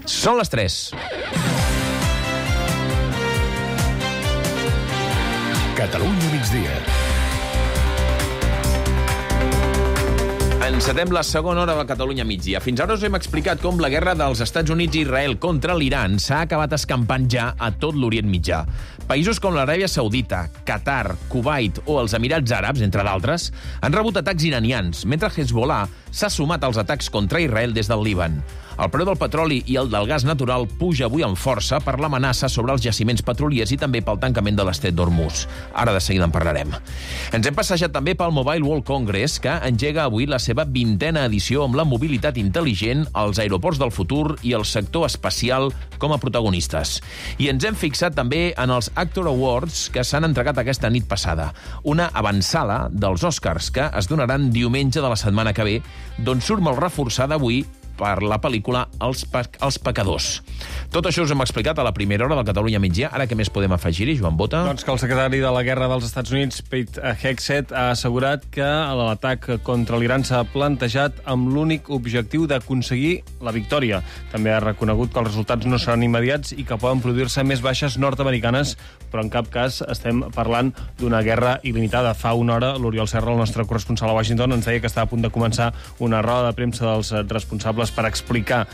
Són les 3. Catalunya migdia. Encetem la segona hora de Catalunya migdia. Fins ara us hem explicat com la guerra dels Estats Units i Israel contra l'Iran s'ha acabat escampant ja a tot l'Orient Mitjà. Països com l'Aràbia Saudita, Qatar, Kuwait o els Emirats Àrabs, entre d'altres, han rebut atacs iranians, mentre Hezbollah s'ha sumat als atacs contra Israel des del Líban. El preu del petroli i el del gas natural puja avui amb força per l'amenaça sobre els jaciments petroliers i també pel tancament de l'estret d'Hormuz. Ara de seguida en parlarem. Ens hem passejat també pel Mobile World Congress, que engega avui la seva 20a edició amb la mobilitat intel·ligent, els aeroports del futur i el sector espacial com a protagonistes. I ens hem fixat també en els Actor Awards que s'han entregat aquesta nit passada, una avançala dels Oscars que es donaran diumenge de la setmana que ve, d'on surt molt reforçada avui per la pel·lícula Els Pecadors. Tot això us hem explicat a la primera hora del Catalunya migdia. Ara què més podem afegir-hi, Joan Bota? Doncs que el secretari de la Guerra dels Estats Units, Pete Hegseth, ha assegurat que l'atac contra l'Iran s'ha plantejat amb l'únic objectiu d'aconseguir la victòria. També ha reconegut que els resultats no seran immediats i que poden produir-se més baixes nord-americanes, però en cap cas estem parlant d'una guerra il·limitada. Fa una hora, l'Oriol Serra, el nostre corresponsal a Washington, ens deia que estava a punt de començar una roda de premsa dels responsables per explicar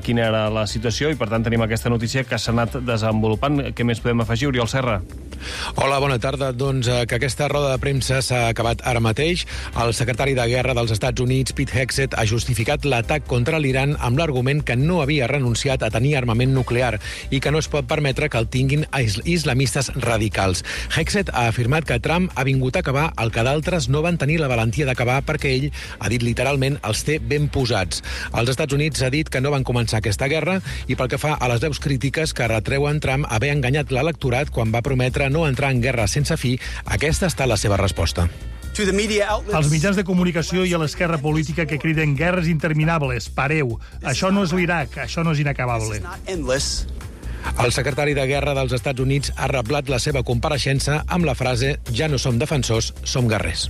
quina era la situació i, per tant, tenim aquesta notícia que s'ha anat desenvolupant. Què més podem afegir, Oriol Serra? Hola, bona tarda. Doncs que aquesta roda de premsa s'ha acabat ara mateix. El secretari de Guerra dels Estats Units, Pete Hegseth, ha justificat l'atac contra l'Iran amb l'argument que no havia renunciat a tenir armament nuclear i que no es pot permetre que el tinguin islamistes radicals. Hegseth ha afirmat que Trump ha vingut a acabar el que d'altres no van tenir la valentia d'acabar perquè ell, ha dit literalment, els té ben posats. Els Estats Units ha dit que no van començar aquesta guerra i pel que fa a les veus crítiques que retreuen Trump haver enganyat l'electorat quan va prometre no entrar en guerra sense fi, aquesta ha estat la seva resposta. Als mitjans de comunicació i a l'esquerra política que criden guerres interminables, pareu. Això no és l'Iraq, això no és inacabable. El secretari de Guerra dels Estats Units ha reblat la seva compareixença amb la frase «Ja no som defensors, som guerrers».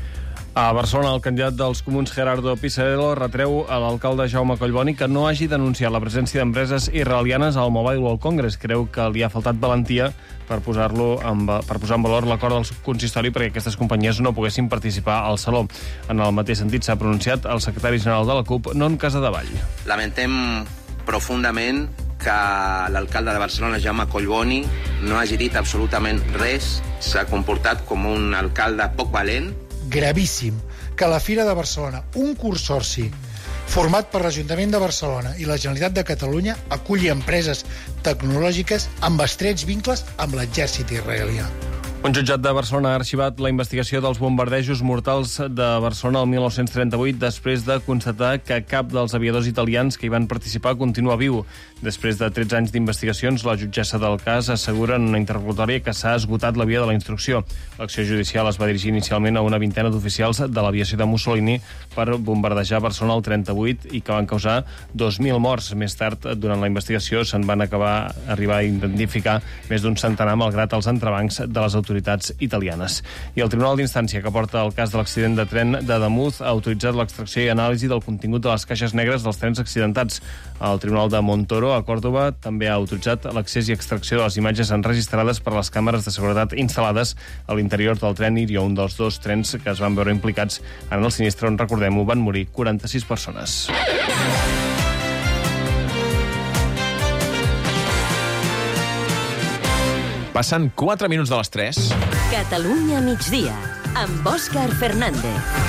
A Barcelona, el candidat dels comuns Gerardo Pisarello retreu a l'alcalde Jaume Collboni que no hagi denunciat la presència d'empreses israelianes al Mobile World Congress. Creu que li ha faltat valentia per posar en valor l'acord del consistori perquè aquestes companyies no poguessin participar al saló. En el mateix sentit s'ha pronunciat el secretari general de la CUP, Non Casadevall. Lamentem profundament que l'alcalde de Barcelona, Jaume Collboni, no hagi dit absolutament res. S'ha comportat com un alcalde poc valent. Gravíssim que la Fira de Barcelona, un consorci format per l'Ajuntament de Barcelona i la Generalitat de Catalunya, aculli empreses tecnològiques amb estrets vincles amb l'exèrcit israelià. Un jutjat de Barcelona ha arxivat la investigació dels bombardejos mortals de Barcelona el 1938 després de constatar que cap dels aviadors italians que hi van participar continua viu. Després de 13 anys d'investigacions, la jutgessa del cas assegura en una interlocutòria que s'ha esgotat la via de la instrucció. L'acció judicial es va dirigir inicialment a una vintena d'oficials de l'aviació de Mussolini per bombardejar Barcelona el 38 i que van causar 2.000 morts. Més tard, durant la investigació, se'n van arribar a identificar més d'un centenar malgrat els entrebancs de les autoritats italianes. I el Tribunal d'Instància que porta el cas de l'accident de tren de Damuz ha autoritzat l'extracció i anàlisi del contingut de les caixes negres dels trens accidentats. El Tribunal de Montoro, a Còrdova, també ha autoritzat l'accés i extracció de les imatges enregistrades per les càmeres de seguretat instal·lades a l'interior del tren Irio, un dels dos trens que es van veure implicats en el sinistre on, recordem-ho, van morir 46 persones. Passen 4 minuts de les 3. Catalunya migdia, amb Òscar Fernández.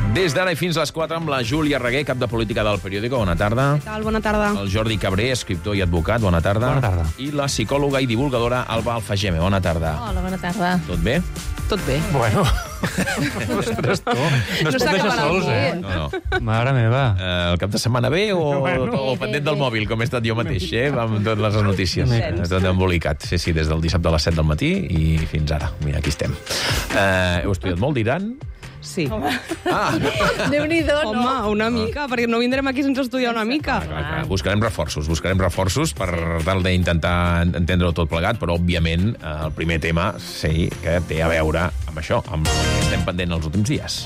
Des d'ara i fins a les 4 amb la Júlia Reguer, cap de política del Periódico. Bona tarda. Què tal? Bona tarda. El Jordi Cabré, escriptor i advocat. Bona tarda. Bona tarda. I la psicòloga i divulgadora Alba Alfageme. Bona tarda. Hola, bona tarda. Tot bé? Tot bé. Bueno, ostres, tu. No es pot deixar sols, eh? No. Mare meva. El cap de setmana bé o pendent del mòbil, com he estat jo mateix, amb totes les notícies. Tot embolicat. Sí, des del dissabte a les 7 del matí i fins ara. Mira, aquí estem. Heu estudiat molt d'Iran? Sí. Déu-n'hi-do, no? Home, una mica, perquè no vindrem aquí sense estudiar una mica. Clar. Buscarem reforços per tal d'intentar entendre-ho tot plegat, però, òbviament, el primer tema sí que té a veure amb això, amb el que estem pendent els últims dies.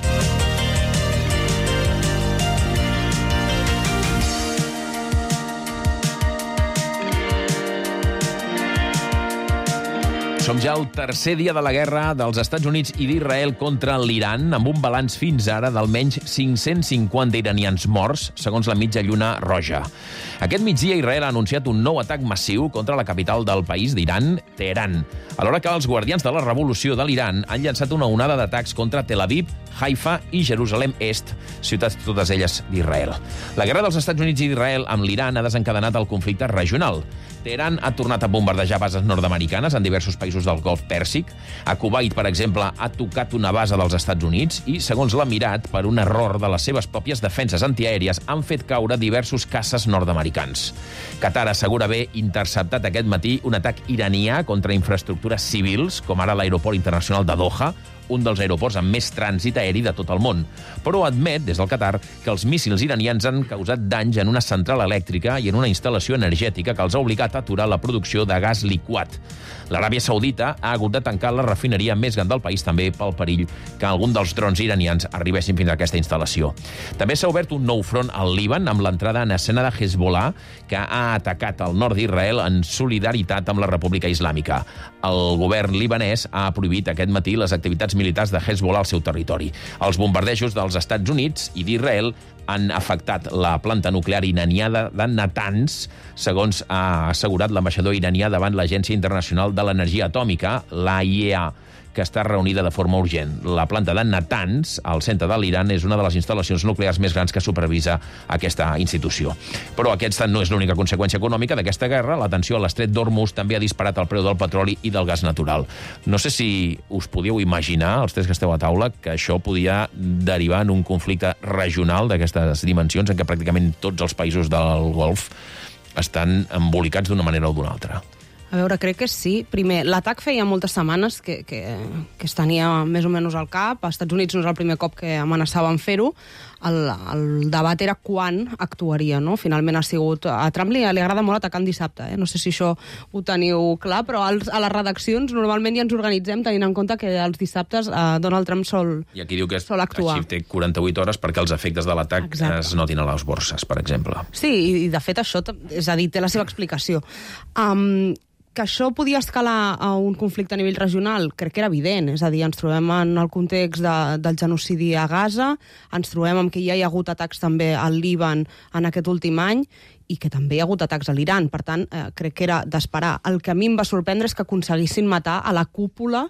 Som ja al tercer dia de la guerra dels Estats Units i d'Israel contra l'Iran, amb un balanç fins ara d'almenys 550 iranians morts, segons la mitja lluna roja. Aquest migdia Israel ha anunciat un nou atac massiu contra la capital del país d'Iran, Teheran, alhora que els guardians de la revolució de l'Iran han llançat una onada d'atacs contra Tel Aviv, Haifa i Jerusalem Est, ciutats totes elles d'Israel. La guerra dels Estats Units i d'Israel amb l'Iran ha desencadenat el conflicte regional. Teheran ha tornat a bombardejar bases nord-americanes en diversos països del Golf Pèrsic. A Kuwait, per exemple, ha tocat una base dels Estats Units i, segons l'Emirat, per un error de les seves pròpies defenses antiaèries, han fet caure diversos caces nord-americans. Qatar assegura haver interceptat aquest matí un atac iranià contra infraestructures civils, com ara l'aeroport internacional de Doha, un dels aeroports amb més trànsit aeri de tot el món. Però admet, des del Qatar, que els míssils iranians han causat danys en una central elèctrica i en una instal·lació energètica que els ha obligat a aturar la producció de gas liquat. L'Aràbia Saudita ha hagut de tancar la refineria més gran del país també pel perill que algun dels drons iranians arribessin fins a aquesta instal·lació. També s'ha obert un nou front al Líban amb l'entrada en escena de Hezbollah, que ha atacat el nord d'Israel en solidaritat amb la República Islàmica. El govern libanès ha prohibit aquest matí les activitats militars de Hezbollah al seu territori. Els bombardejos dels Estats Units i d'Israel han afectat la planta nuclear iraniana de Natanz, segons ha assegurat l'ambaixador iranià davant l'Agència Internacional de l'Energia Atòmica, l'AIEA, que està reunida de forma urgent. La planta de Natanz, al centre de l'Iran, és una de les instal·lacions nuclears més grans que supervisa aquesta institució. Però aquesta no és l'única conseqüència econòmica d'aquesta guerra. La tensió a l'estret d'Hormuz també ha disparat el preu del petroli i del gas natural. No sé si us podíeu imaginar, els tres que esteu a taula, que això podia derivar en un conflicte regional d'aquestes dimensions en què pràcticament tots els països del Golf estan embolicats d'una manera o d'una altra. A veure, crec que sí. Primer, l'atac feia moltes setmanes que es tenia més o menys al cap. Als Estats Units no és el primer cop que amenaçaven fer-ho. El debat era quan actuaria, no? Finalment ha sigut... A Trump li agrada molt atacar en dissabte, No sé si això ho teniu clar, però a les redaccions normalment ja ens organitzem tenint en compte que els dissabtes Donald Trump sol actuar. I aquí diu que així té 48 hores perquè els efectes de l'atac es notin a les borses, per exemple. Sí, i de fet això, és a dir, té la seva explicació. Que això podia escalar a un conflicte a nivell regional, crec que era evident. És a dir, ens trobem en el context del genocidi a Gaza, ens trobem amb que ja hi ha hagut atacs també al Líban en aquest últim any i que també hi ha hagut atacs a l'Iran. Per tant, crec que era d'esperar. El que a mi em va sorprendre és que aconseguissin matar a la cúpula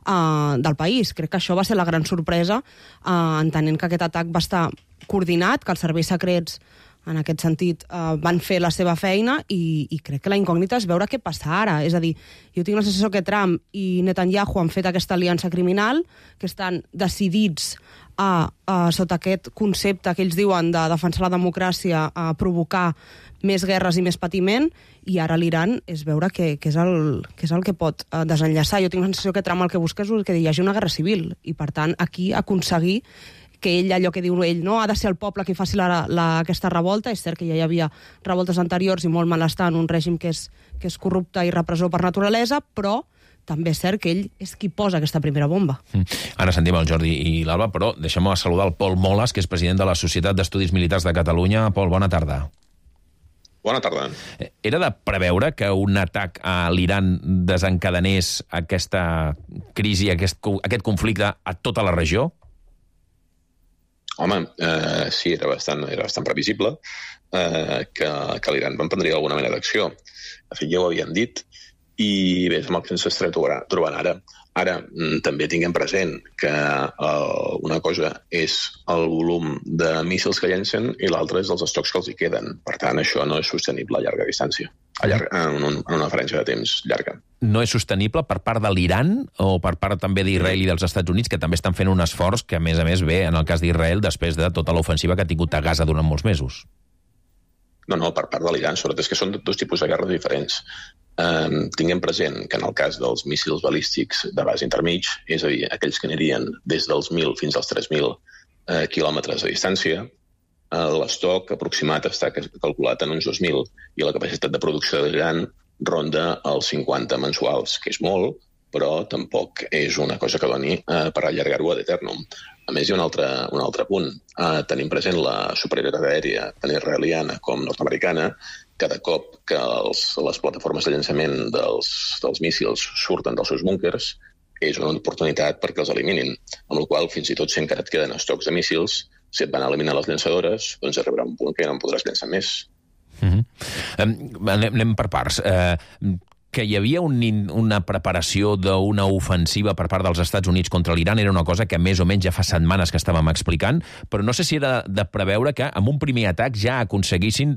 del país. Crec que això va ser la gran sorpresa, entenent que aquest atac va estar coordinat, que els serveis secrets en aquest sentit, van fer la seva feina i crec que la incògnita és veure què passa ara. És a dir, jo tinc la sensació que Trump i Netanyahu han fet aquesta aliança criminal, que estan decidits sota aquest concepte que ells diuen de defensar la democràcia, a provocar més guerres i més patiment, i ara l'Iran és veure què és el que pot desenllaçar. Jo tinc la sensació que Trump el que busca és que hi hagi una guerra civil, i per tant aquí aconseguir que ell, allò que diu ell, no, ha de ser el poble qui faci aquesta revolta. És cert que ja hi havia revoltes anteriors i molt malestar en un règim que és corrupte i repressor per naturalesa, però també és cert que ell és qui posa aquesta primera bomba. Ara sentim el Jordi i l'Alba, però deixem-me saludar el Pol Moles, que és president de la Societat d'Estudis Militars de Catalunya. Pol, bona tarda. Bona tarda. Era de preveure que un atac a l'Iran desencadenés aquesta crisi, aquest conflicte a tota la regió? Home, sí, era bastant previsible que l'Iran emprendria alguna mena d'acció. De fet, ja ho havien dit, i bé, és amb el que ens estarem trobant ara. Ara, també tinguem present que una cosa és el volum de míssils que llencen i l'altra és els estocs que els hi queden. Per tant, això no és sostenible a llarga distància, en una diferència de temps llarga. No és sostenible per part de l'Iran o per part també d'Israel i dels Estats Units, que també estan fent un esforç que, a més, ve, en el cas d'Israel, després de tota l'ofensiva que ha tingut a Gaza durant molts mesos? No, per part de l'Iran, sobretot és que són dos tipus de guerres diferents. Tinguem present que en el cas dels míssils balístics de base intermig, és a dir, aquells que anirien des dels 1.000 fins als 3.000 quilòmetres de distància, l'estoc aproximat està calculat en uns 2.000 i la capacitat de producció de l'Iran ronda els 50 mensuals, que és molt, però tampoc és una cosa que doni per allargar-ho ad eternum. A més, hi ha un altre punt. Tenim present la superioritat aèria tant israeliana com nord-americana. Cada cop que les plataformes de llançament dels míssils surten dels seus búnkers, és una oportunitat perquè els eliminin, amb la qual fins i tot si encara et queden estocs de míssils, si et van eliminar les llançadores, doncs arribarà un punt que ja no en podràs llançar més. Anem per parts. Que hi havia una preparació d'una ofensiva per part dels Estats Units contra l'Iran era una cosa que més o menys ja fa setmanes que estàvem explicant, però no sé si era de preveure que amb un primer atac ja aconseguissin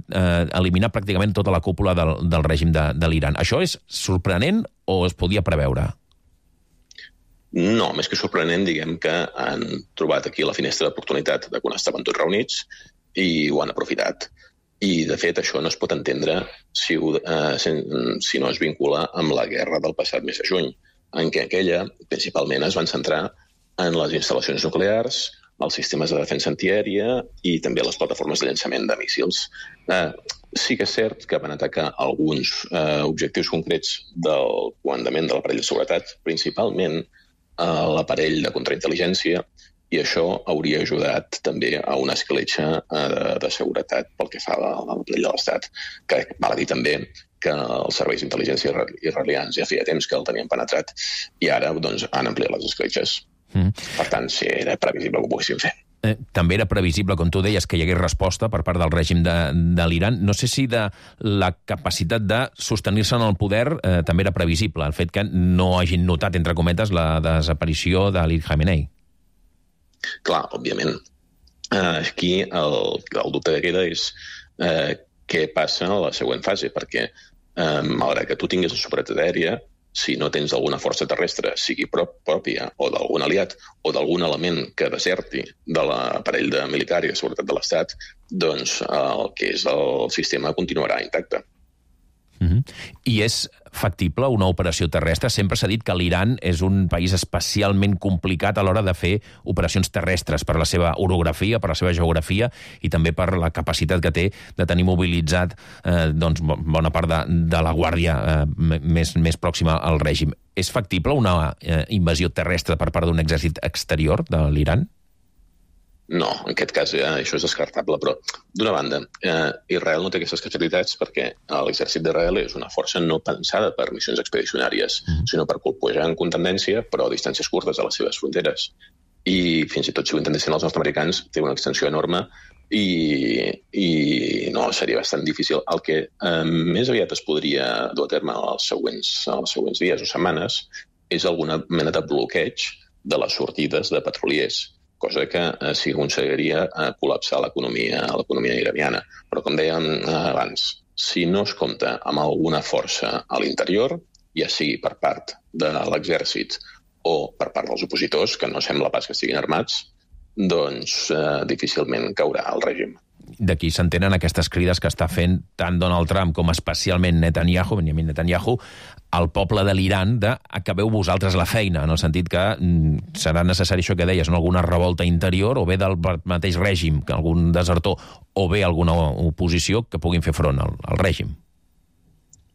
eliminar pràcticament tota la cúpula del règim de l'Iran. Això és sorprenent o es podia preveure? No, més que sorprenent, diguem que han trobat aquí la finestra d'oportunitat de quan estaven tots reunits i ho han aprofitat. I, de fet, això no es pot entendre si no es vincula amb la guerra del passat mes de juny, en què aquella, principalment, es van centrar en les instal·lacions nuclears, els sistemes de defensa antiaèria i també les plataformes de llançament de míssils. Sí que és cert que van atacar alguns objectius concrets del comandament de l'aparell de seguretat, principalment l'aparell de contraintel·ligència, i això hauria ajudat també a una escletxa de seguretat pel que fa a l'aparell de l'Estat. Que val a dir també que els serveis d'intel·ligència israelians ja feia temps que el tenien penetrat i ara han ampliat les escletxes. Per tant, sí, era previsible que ho poguessin fer. També era previsible, com tu deies, que hi hagués resposta per part del règim de l'Iran. No sé si de la capacitat de sostenir-se en el poder també era previsible, el fet que no hagin notat, entre cometes, la desaparició d'Ali Khamenei. Clar, òbviament. Aquí el dubte que queda és què passa a la següent fase, perquè malgrat que tu tinguis la superioritat aèria, si no tens alguna força terrestre, sigui pròpia o d'algun aliat o d'algun element que deserti de l'aparell militar i de seguretat de l'Estat, doncs el que és el sistema continuarà intacte. I és factible una operació terrestre? Sempre s'ha dit que l'Iran és un país especialment complicat a l'hora de fer operacions terrestres per la seva orografia, per la seva geografia i també per la capacitat que té de tenir mobilitzat bona part de la guàrdia més pròxima al règim. És factible una invasió terrestre per part d'un exèrcit exterior de l'Iran? No, en aquest cas això és descartable, però d'una banda, Israel no té aquestes capacitats perquè l'exèrcit d'Israel és una força no pensada per missions expedicionàries, sinó per colpejar en contendència, però a distàncies curtes de les seves fronteres. I fins i tot si ho intentessin els nord-americans, té una extensió enorme i no, seria bastant difícil. El que més aviat es podria dur a terme els següents dies o setmanes és alguna mena de bloqueig de les sortides de petroliers, cosa que s'hi aconseguiria col·lapsar l'economia iraniana. Però, com dèiem abans, si no es compta amb alguna força a l'interior, ja sigui per part de l'exèrcit o per part dels opositors, que no sembla pas que estiguin armats, doncs difícilment caurà el règim. D'aquí s'entenen aquestes crides que està fent tant Donald Trump com especialment Benjamin Netanyahu, al poble de l'Iran de acabeu vosaltres la feina, en el sentit que serà necessari això que deies, alguna revolta interior o bé del mateix règim, algun desertor, o bé alguna oposició que puguin fer front al règim.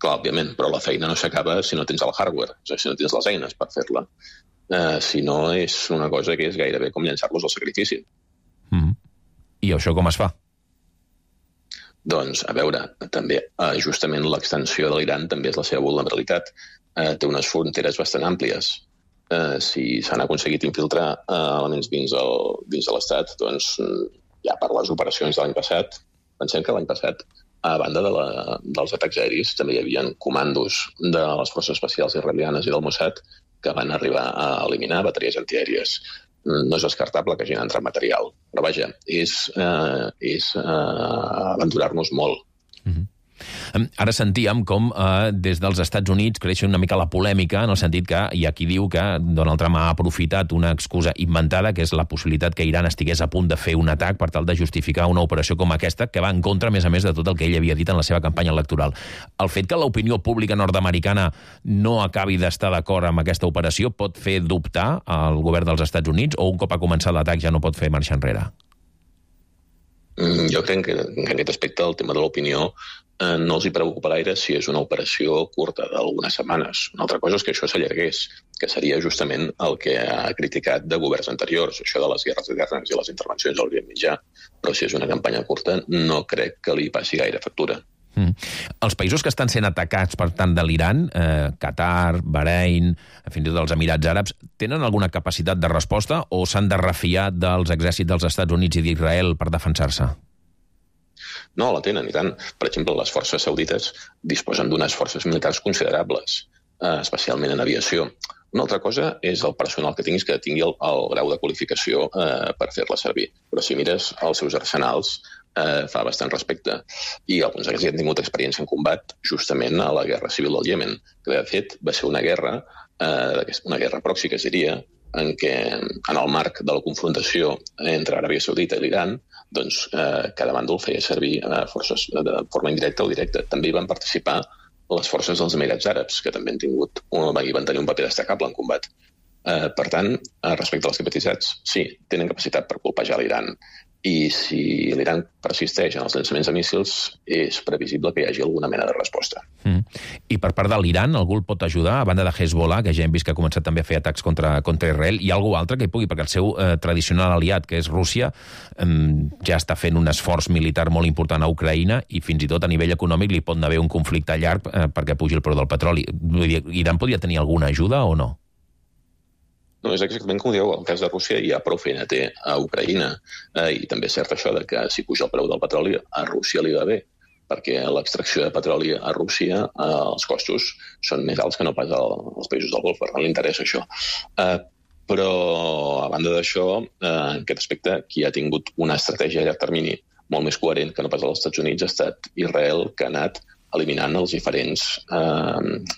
Clar, òbviament, però la feina no s'acaba si no tens el hardware, és a dir, si no tens les eines per fer-la. Si no, és una cosa que és gairebé com llançar-los al sacrifici. I això com es fa? Doncs, a veure, també justament l'extensió de l'Iran també és la seva vulnerabilitat. Té unes fronteres bastant àmplies. Si s'han aconseguit infiltrar elements dins de l'Estat, doncs ja per les operacions de l'any passat, pensem que l'any passat, a banda dels atacs aeris, també hi havia comandos de les forces especials israelianes i del Mossad que van arribar a eliminar bateries antiaèries. No és descartable que hagin entrat material. Però vaja, és aventurar-nos molt. Ara sentíem com des dels Estats Units creix una mica la polèmica, en el sentit que hi ha qui diu que Donald Trump ha aprofitat una excusa inventada, que és la possibilitat que Iran estigués a punt de fer un atac per tal de justificar una operació com aquesta, que va en contra, a més de tot el que ell havia dit en la seva campanya electoral. El fet que l'opinió pública nord-americana no acabi d'estar d'acord amb aquesta operació pot fer dubtar al govern dels Estats Units, o un cop ha començat l'atac ja no pot fer marxa enrere? Jo crec que en aquest aspecte el tema de l'opinió no els hi preocupa gaire si és una operació curta d'algunes setmanes. Una altra cosa és que això s'allargués, que seria justament el que ha criticat de governs anteriors, això de les guerres eternes i les intervencions a l'Orient Mitjà. Però si és una campanya curta, no crec que li passi gaire factura. Els països que estan sent atacats per tant de l'Iran, Qatar, Bahrein, fins i tot els Emirats Àrabs, tenen alguna capacitat de resposta o s'han de refiar dels exèrcits dels Estats Units i d'Israel per defensar-se? No, la tenen, i tant. Per exemple, les forces saudites disposen d'unes forces militars considerables, especialment en aviació. Una altra cosa és el personal que tinguis, que tingui el grau de qualificació per fer-la servir. Però si mires els seus arsenals, fa bastant respecte. I alguns d'aquests han tingut experiència en combat justament a la guerra civil del Iemen, que de fet va ser una guerra pròxima, que es diria, en què en el marc de la confrontació entre Aràbia Saudita i l'Iran, doncs cada bàndol feia servir forces de forma indirecta o directa. També hi van participar les forces dels Emirats Àrabs, que també van tenir un paper destacable en combat. Per tant, respecte a les capacitats, sí, tenen capacitat per colpejar l'Iran. I si l'Iran persisteix en els llançaments de míssils, és previsible que hi hagi alguna mena de resposta. I per part de l'Iran, algú el pot ajudar, a banda de Hezbollah, que ja hem vist que ha començat també a fer atacs contra Israel, hi ha algú altre que hi pugui, perquè el seu tradicional aliat, que és Rússia, ja està fent un esforç militar molt important a Ucraïna i fins i tot a nivell econòmic li pot haver un conflicte llarg perquè pugi el preu del petroli. Iran podria tenir alguna ajuda o no? No, és exactament com dieu, el cas de Rússia hi ha prou feina té a Ucraïna, i també és cert això de que si puja el preu del petroli a Rússia li va bé, perquè l'extracció de petroli a Rússia, els costos són més alts que no pas als països del Golf, per tant li interessa això. Però, a banda d'això, en aquest aspecte, qui ha tingut una estratègia a llarg termini molt més coherent que no pas als Estats Units ha estat Israel, que ha anat eliminant els diferents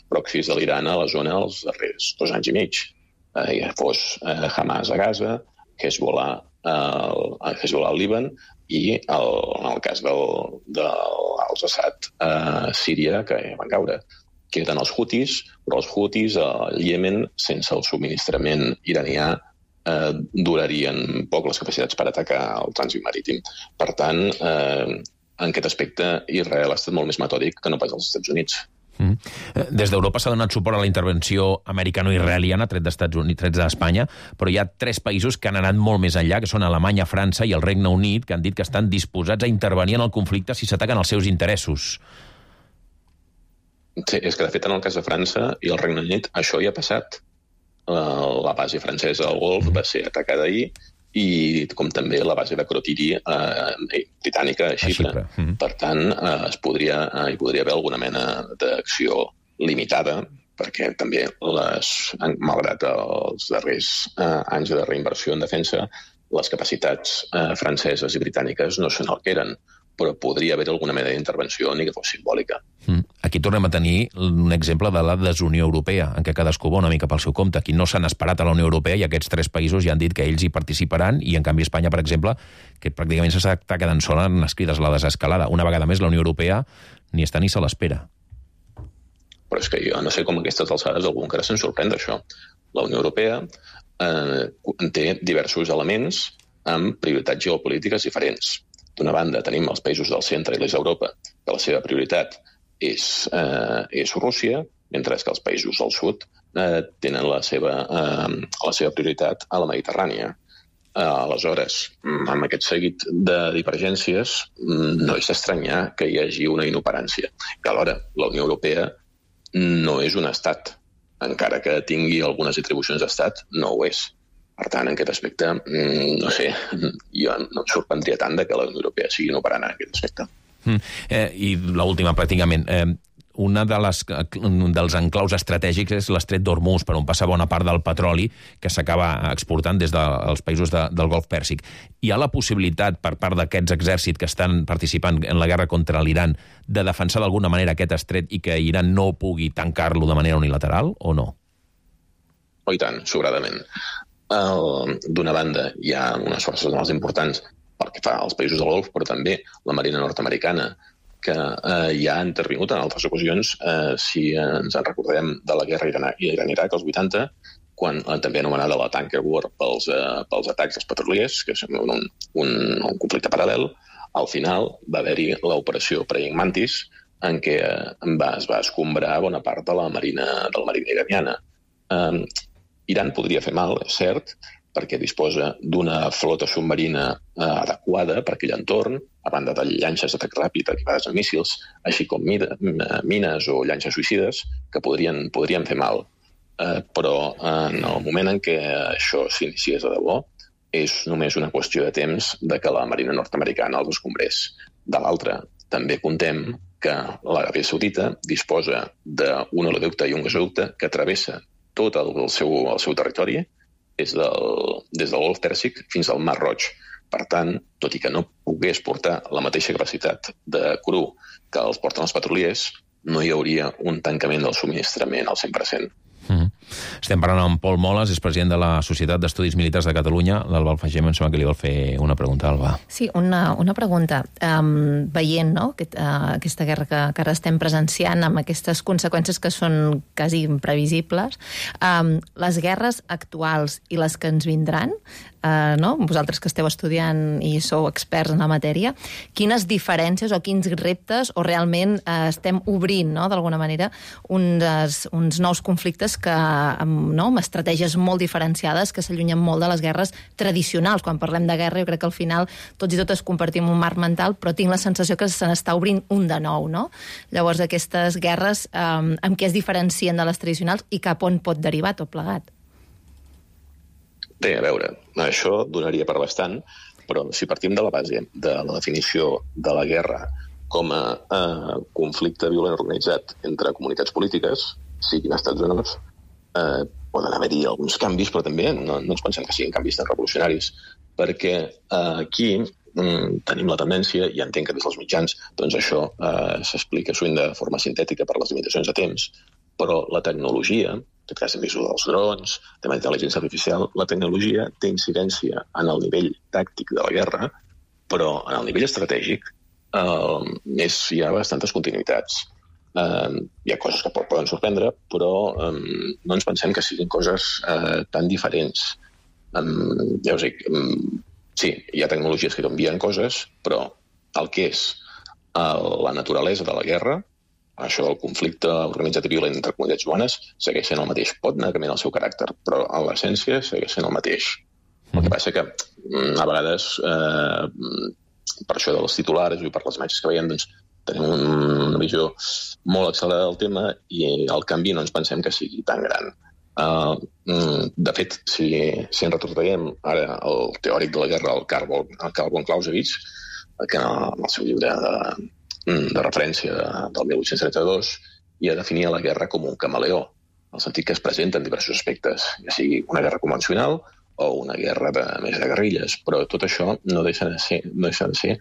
proxys de l'Iran a la zona els darrers 2 anys i mig. Ja fos Hamas a Gaza, Hezbollah al Líban i en el cas dels Assad a Síria, que van caure. Queden els Houthis, però els Houthis al Iemen, sense el subministrament iranià, durarien poc les capacitats per atacar el trànsit marítim. Per tant, en aquest aspecte, Israel ha estat molt més metòdic que no pas als Estats Units. Des d'Europa s'ha donat suport a la intervenció americano-israeliana, tret d'Estats Units, tret d'Espanya, però hi ha 3 països que han anat molt més enllà, que són Alemanya, França i el Regne Unit, que han dit que estan disposats a intervenir en el conflicte si s'ataquen els seus interessos. Sí, és que de fet en el cas de França i el Regne Unit això ja ha passat. La base francesa al Golf va ser atacada ahir, i com també la base de Crotiri britànica a Xipre. Per tant, hi podria haver alguna mena d'acció limitada, perquè també, malgrat els darrers anys de reinversió en defensa, les capacitats franceses i britàniques no són el que eren, però podria haver alguna mena d'intervenció, ni que fos simbòlica. Aquí tornem a tenir un exemple de la desunió europea, en què cadascú va una mica pel seu compte. Aquí no s'han esperat a la Unió Europea i aquests 3 països ja han dit que ells hi participaran, i en canvi Espanya, per exemple, que pràcticament s'està quedant sola en les crides a la desescalada. Una vegada més, la Unió Europea ni està ni se l'espera. Però és que jo no sé com a aquestes alçades algú encara se'n sorprèn d'això. La Unió Europea té diversos elements amb prioritats geopolítiques diferents. D'una banda, tenim els països del centre i l'est d'Europa, que la seva prioritat és Rússia, mentre que els països del sud tenen la seva prioritat a la Mediterrània. Aleshores, amb aquest seguit de divergències, no és d'estranyar que hi hagi una inoperància. I alhora, la Unió Europea no és un estat. Encara que tingui algunes atribucions d'estat, no ho és. Per tant, en aquest aspecte, no sé, jo no em sorprendria tant que la Unió Europea sigui inoperant en aquest aspecte. I l'última, pràcticament. una dels enclaus estratègics és l'estret d'Hormuz, per on passa bona part del petroli que s'acaba exportant des dels països del Golf Pèrsic. Hi ha la possibilitat, per part d'aquests exèrcits que estan participant en la guerra contra l'Iran, de defensar d'alguna manera aquest estret i que Iran no pugui tancar-lo de manera unilateral, o no? Oh, i tant, sobradament. D'una banda, hi ha unes forces navals importants pel que fa als països del Golf, però també la Marina nord-americana, que ja ha intervingut en altres ocasions, si ens en recordem de la guerra Iran-Iraq als 80, quan també anomenada la Tanker War pels atacs dels petroliers, que sembla un conflicte paral·lel. Al final va haver-hi l'operació Praying Mantis, en què es va escombrar bona part de la marina iraniana. Iran podria fer mal, és cert, perquè disposa d'una flota submarina adequada per aquell entorn, a banda de llanxes d'atac ràpid equipades amb míssils, així com mines o llanxes suïcides que podrien fer mal. Però en el moment en què això s'iniciés de debò, és només una qüestió de temps de que la marina nord-americana els escombrés. De l'altra, també contem que l'Aràbia Saudita disposa d'un oleoducte i un gasoducte que travessa tot el seu territori, des del Golf Pèrsic fins al Mar Roig. Per tant, tot i que no pogués portar la mateixa capacitat de cru que els porten els petroliers, no hi hauria un tancament del subministrament al 100%. Estem parlant amb Pol Moles, és president de la Societat d'Estudis Militars de Catalunya. L'Alba Alfagem, em sembla que li vol fer una pregunta, Alba. Sí, una pregunta. Veient aquesta guerra que ara estem presenciant, amb aquestes conseqüències que són quasi imprevisibles, les guerres actuals i les que ens vindran, vosaltres que esteu estudiant i sou experts en la matèria, quines diferències o quins reptes o realment estem obrint, d'alguna manera, uns nous conflictes que amb estratègies molt diferenciades que s'allunyen molt de les guerres tradicionals. Quan parlem de guerra, jo crec que al final tots i totes compartim un marc mental, però tinc la sensació que se n'està obrint un de nou, no? Llavors, aquestes guerres, amb què es diferencien de les tradicionals i cap on pot derivar tot plegat? Bé, a veure, això donaria per bastant, però si partim de la base de la definició de la guerra com a conflicte violent organitzat entre comunitats polítiques, siguin estats o no, poden haver-hi alguns canvis, però també no ens pensem que siguin canvis tan revolucionaris, perquè aquí tenim la tendència, i entenc que des dels mitjans doncs això s'explica sovint de forma sintètica per les limitacions de temps, però la tecnologia, en aquest cas hem vist dels drons, tema d'intel·ligència artificial, la tecnologia té incidència en el nivell tàctic de la guerra, però en el nivell estratègic hi ha bastantes continuïtats. Hi ha coses que poden sorprendre, però no ens pensem que siguin coses tan diferents. Ja us dic, sí, hi ha tecnologies que canvien coses, però el que és la naturalesa de la guerra, això del conflicte organitzat i violent entre comunitats humanes, segueix sent el mateix. Pot anar canviant el seu caràcter, però en l'essència segueix sent el mateix. El que passa que a vegades, per això dels titulars i per les imatges que veiem, doncs tenim una visió molt accelerada del tema i el canvi no ens pensem que sigui tan gran. De fet, si ens retrotraiem ara el teòric de la guerra, el Carl von Clausewitz, que en el seu llibre de referència del 1832 ja definia la guerra com un camaleó, en el sentit que es presenta en diversos aspectes, ja sigui una guerra convencional o una guerra més de guerrilles, però tot això no deixa de ser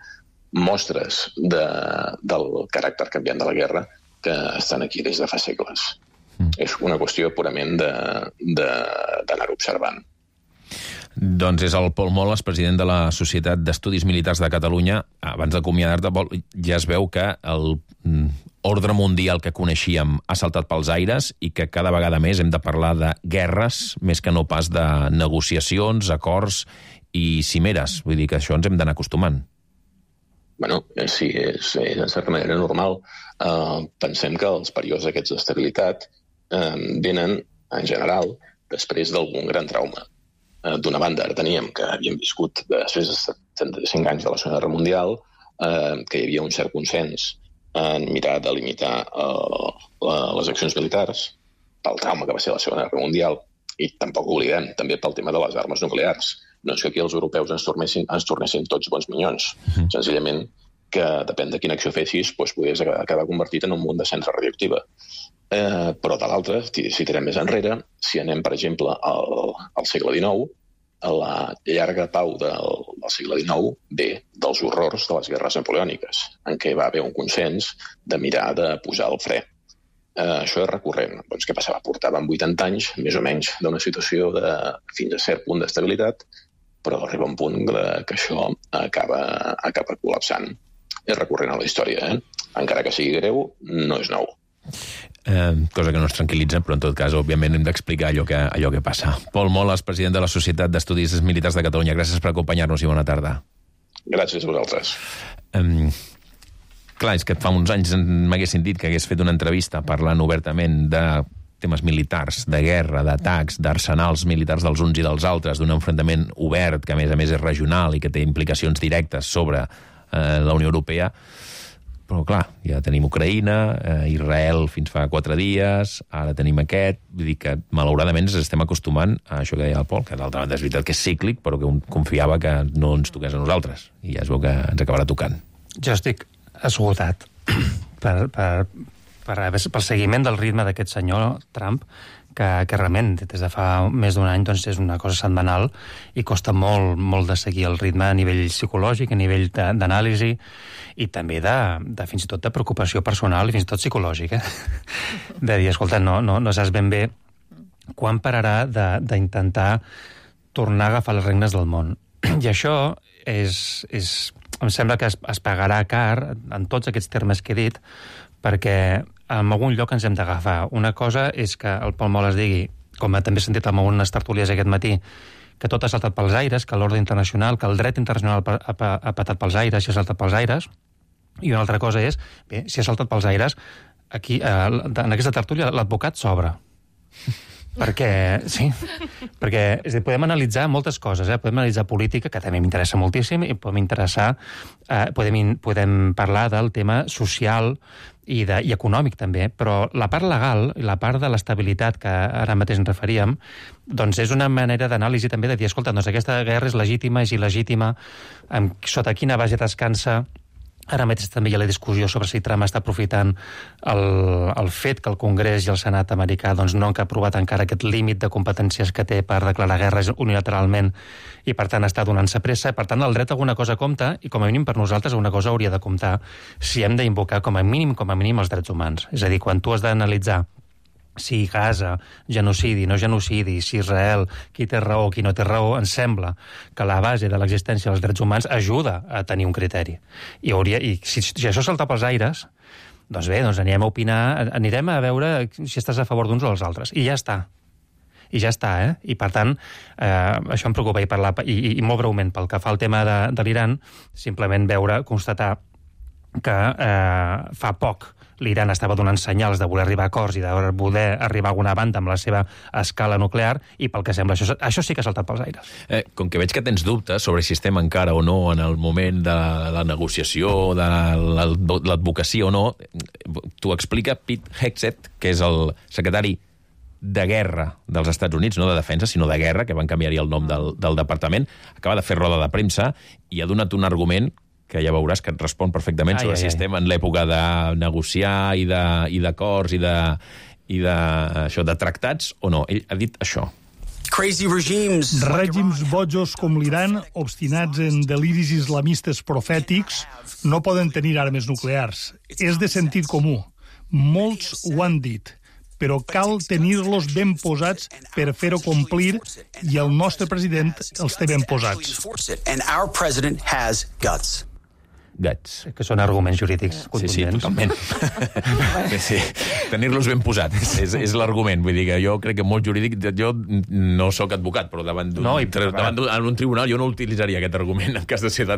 mostres del caràcter canviant de la guerra que estan aquí des de fa segles. És una qüestió purament d'anar observant. Doncs és el Pol Moles, president de la Societat d'Estudis Militars de Catalunya. Abans d'acomiadar-te, ja es veu que l'ordre mundial que coneixíem ha saltat pels aires i que cada vegada més hem de parlar de guerres més que no pas de negociacions, acords i cimeres. Vull dir que això ens hem d'anar acostumant. Bueno, sí, és en certa manera normal. Pensem que els períodes aquests d'estabilitat venen, en general, després d'algun gran trauma. D'una banda, ara teníem que havíem viscut després de 75 anys de la Segona Guerra Mundial, que hi havia un cert consens en mirar de limitar les accions militars pel trauma que va ser la Segona Guerra Mundial, i tampoc ho oblidem, també pel tema de les armes nuclears. No és que aquí els europeus ens tornessin tots bons minyons, senzillament que depèn de quina acció fessis, podies acabar convertit en un munt de cendra radioactiva. Però de l'altra, si tirem més enrere, si anem, per exemple, al segle XIX, la llarga pau del segle XIX ve dels horrors de les guerres napoleòniques, en què va haver un consens de mirar de posar el fre. Això és recurrent. Doncs què passava? Portàvem 80 anys, més o menys, d'una situació de fins a cert punt d'estabilitat, però arriba un punt que això acaba col·lapsant. És recurrent a la història, Encara que sigui greu, no és nou. Cosa que no ens tranquil·litza, però en tot cas, òbviament, hem d'explicar allò que passa. Pol Moles, president de la Societat d'Estudis Militars de Catalunya, gràcies per acompanyar-nos i bona tarda. Gràcies a vosaltres. Clar, és que fa uns anys m'haguessin dit que hagués fet una entrevista parlant obertament de temes militars, de guerra, d'atacs, d'arsenals militars dels uns i dels altres, d'un enfrontament obert, que a més és regional i que té implicacions directes sobre la Unió Europea. Però clar, ja tenim Ucraïna, Israel fins fa 4 dies, ara tenim aquest, vull dir que malauradament ens estem acostumant a això que deia el Pol, que d'altra banda és veritat que és cíclic, però que un confiava que no ens toqués a nosaltres, i ja es veu que ens acabarà tocant. Jo estic esgotat pel seguiment del ritme d'aquest senyor Trump, que realment des de fa més d'un any doncs és una cosa setmanal i costa molt de seguir el ritme a nivell psicològic, a nivell d'anàlisi i també de fins i tot de preocupació personal i fins i tot psicològic, de dir, escolta, no saps ben bé quan pararà d'intentar tornar a agafar les regnes del món. I això em sembla que es pagarà car en tots aquests termes que he dit, perquè en algun lloc ens hem d'agafar. Una cosa és que el Pol Moles digui, com també he sentit en algunes tertúlies aquest matí, que tot ha saltat pels aires, que l'ordre internacional, que el dret internacional ha patat pels aires, si ha saltat pels aires, i una altra cosa és, bé, si ha saltat pels aires, aquí, en aquesta tertúlia, l'advocat s'obre. Perquè podem analitzar moltes coses, podem analitzar política, que també m'interessa moltíssim, i podem parlar del tema social i econòmic també, però la part legal i la part de l'estabilitat que ara mateix ens referíem, doncs és una manera d'anàlisi també de dir, escolta, doncs aquesta guerra és legítima, és il·legítima, sota quina base descansa. Ara mateix també hi ha la discussió sobre si Trump està aprofitant el fet que el Congrés i el Senat americà doncs, no han aprovat encara aquest límit de competències que té per declarar guerres unilateralment i, per tant, està donant-se pressa. Per tant, el dret a alguna cosa compta i, com a mínim, per nosaltres alguna cosa hauria de comptar si hem d'invocar com a mínim els drets humans. És a dir, quan tu has d'analitzar si Gaza, genocidi, no genocidi, si Israel, qui té raó, qui no té raó, ens sembla que la base de l'existència dels drets humans ajuda a tenir un criteri. I si això salta pels aires, doncs bé, anirem a opinar, anirem a veure si estàs a favor d'uns o dels altres. I ja està. I per tant, això em preocupa. I molt breument, pel que fa al tema de l'Iran, simplement constatar que fa poc l'Iran estava donant senyals de voler arribar a acords i de voler arribar a alguna banda amb la seva escala nuclear, i pel que sembla això sí que ha saltat pels aires. Com que veig que tens dubtes sobre si estem encara o no en el moment de la negociació, de l'advocacia o no, t'ho explica Pete Hegseth, que és el secretari de guerra dels Estats Units, no de defensa, sinó de guerra, que van canviar-hi el nom del departament. Acaba de fer roda de premsa i ha donat un argument que ja veuràs que et respon perfectament sobre si estem en l'època de negociar i d'acords i de tractats o no. Ell ha dit això. Règims bojos com l'Iran, obstinats en deliris islamistes profètics, no poden tenir armes nuclears. És de sentit comú. Molts ho han dit, però cal tenir-los ben posats per fer-ho complir, i el nostre president els té ben posats. Guts. Que són arguments jurídics contundents. Sí, totalment. Sí. Tenir-los ben posats és l'argument. Vull dir que jo crec que molt jurídic... Jo no sóc advocat, però davant d'un tribunal jo no utilitzaria aquest argument en cas de ser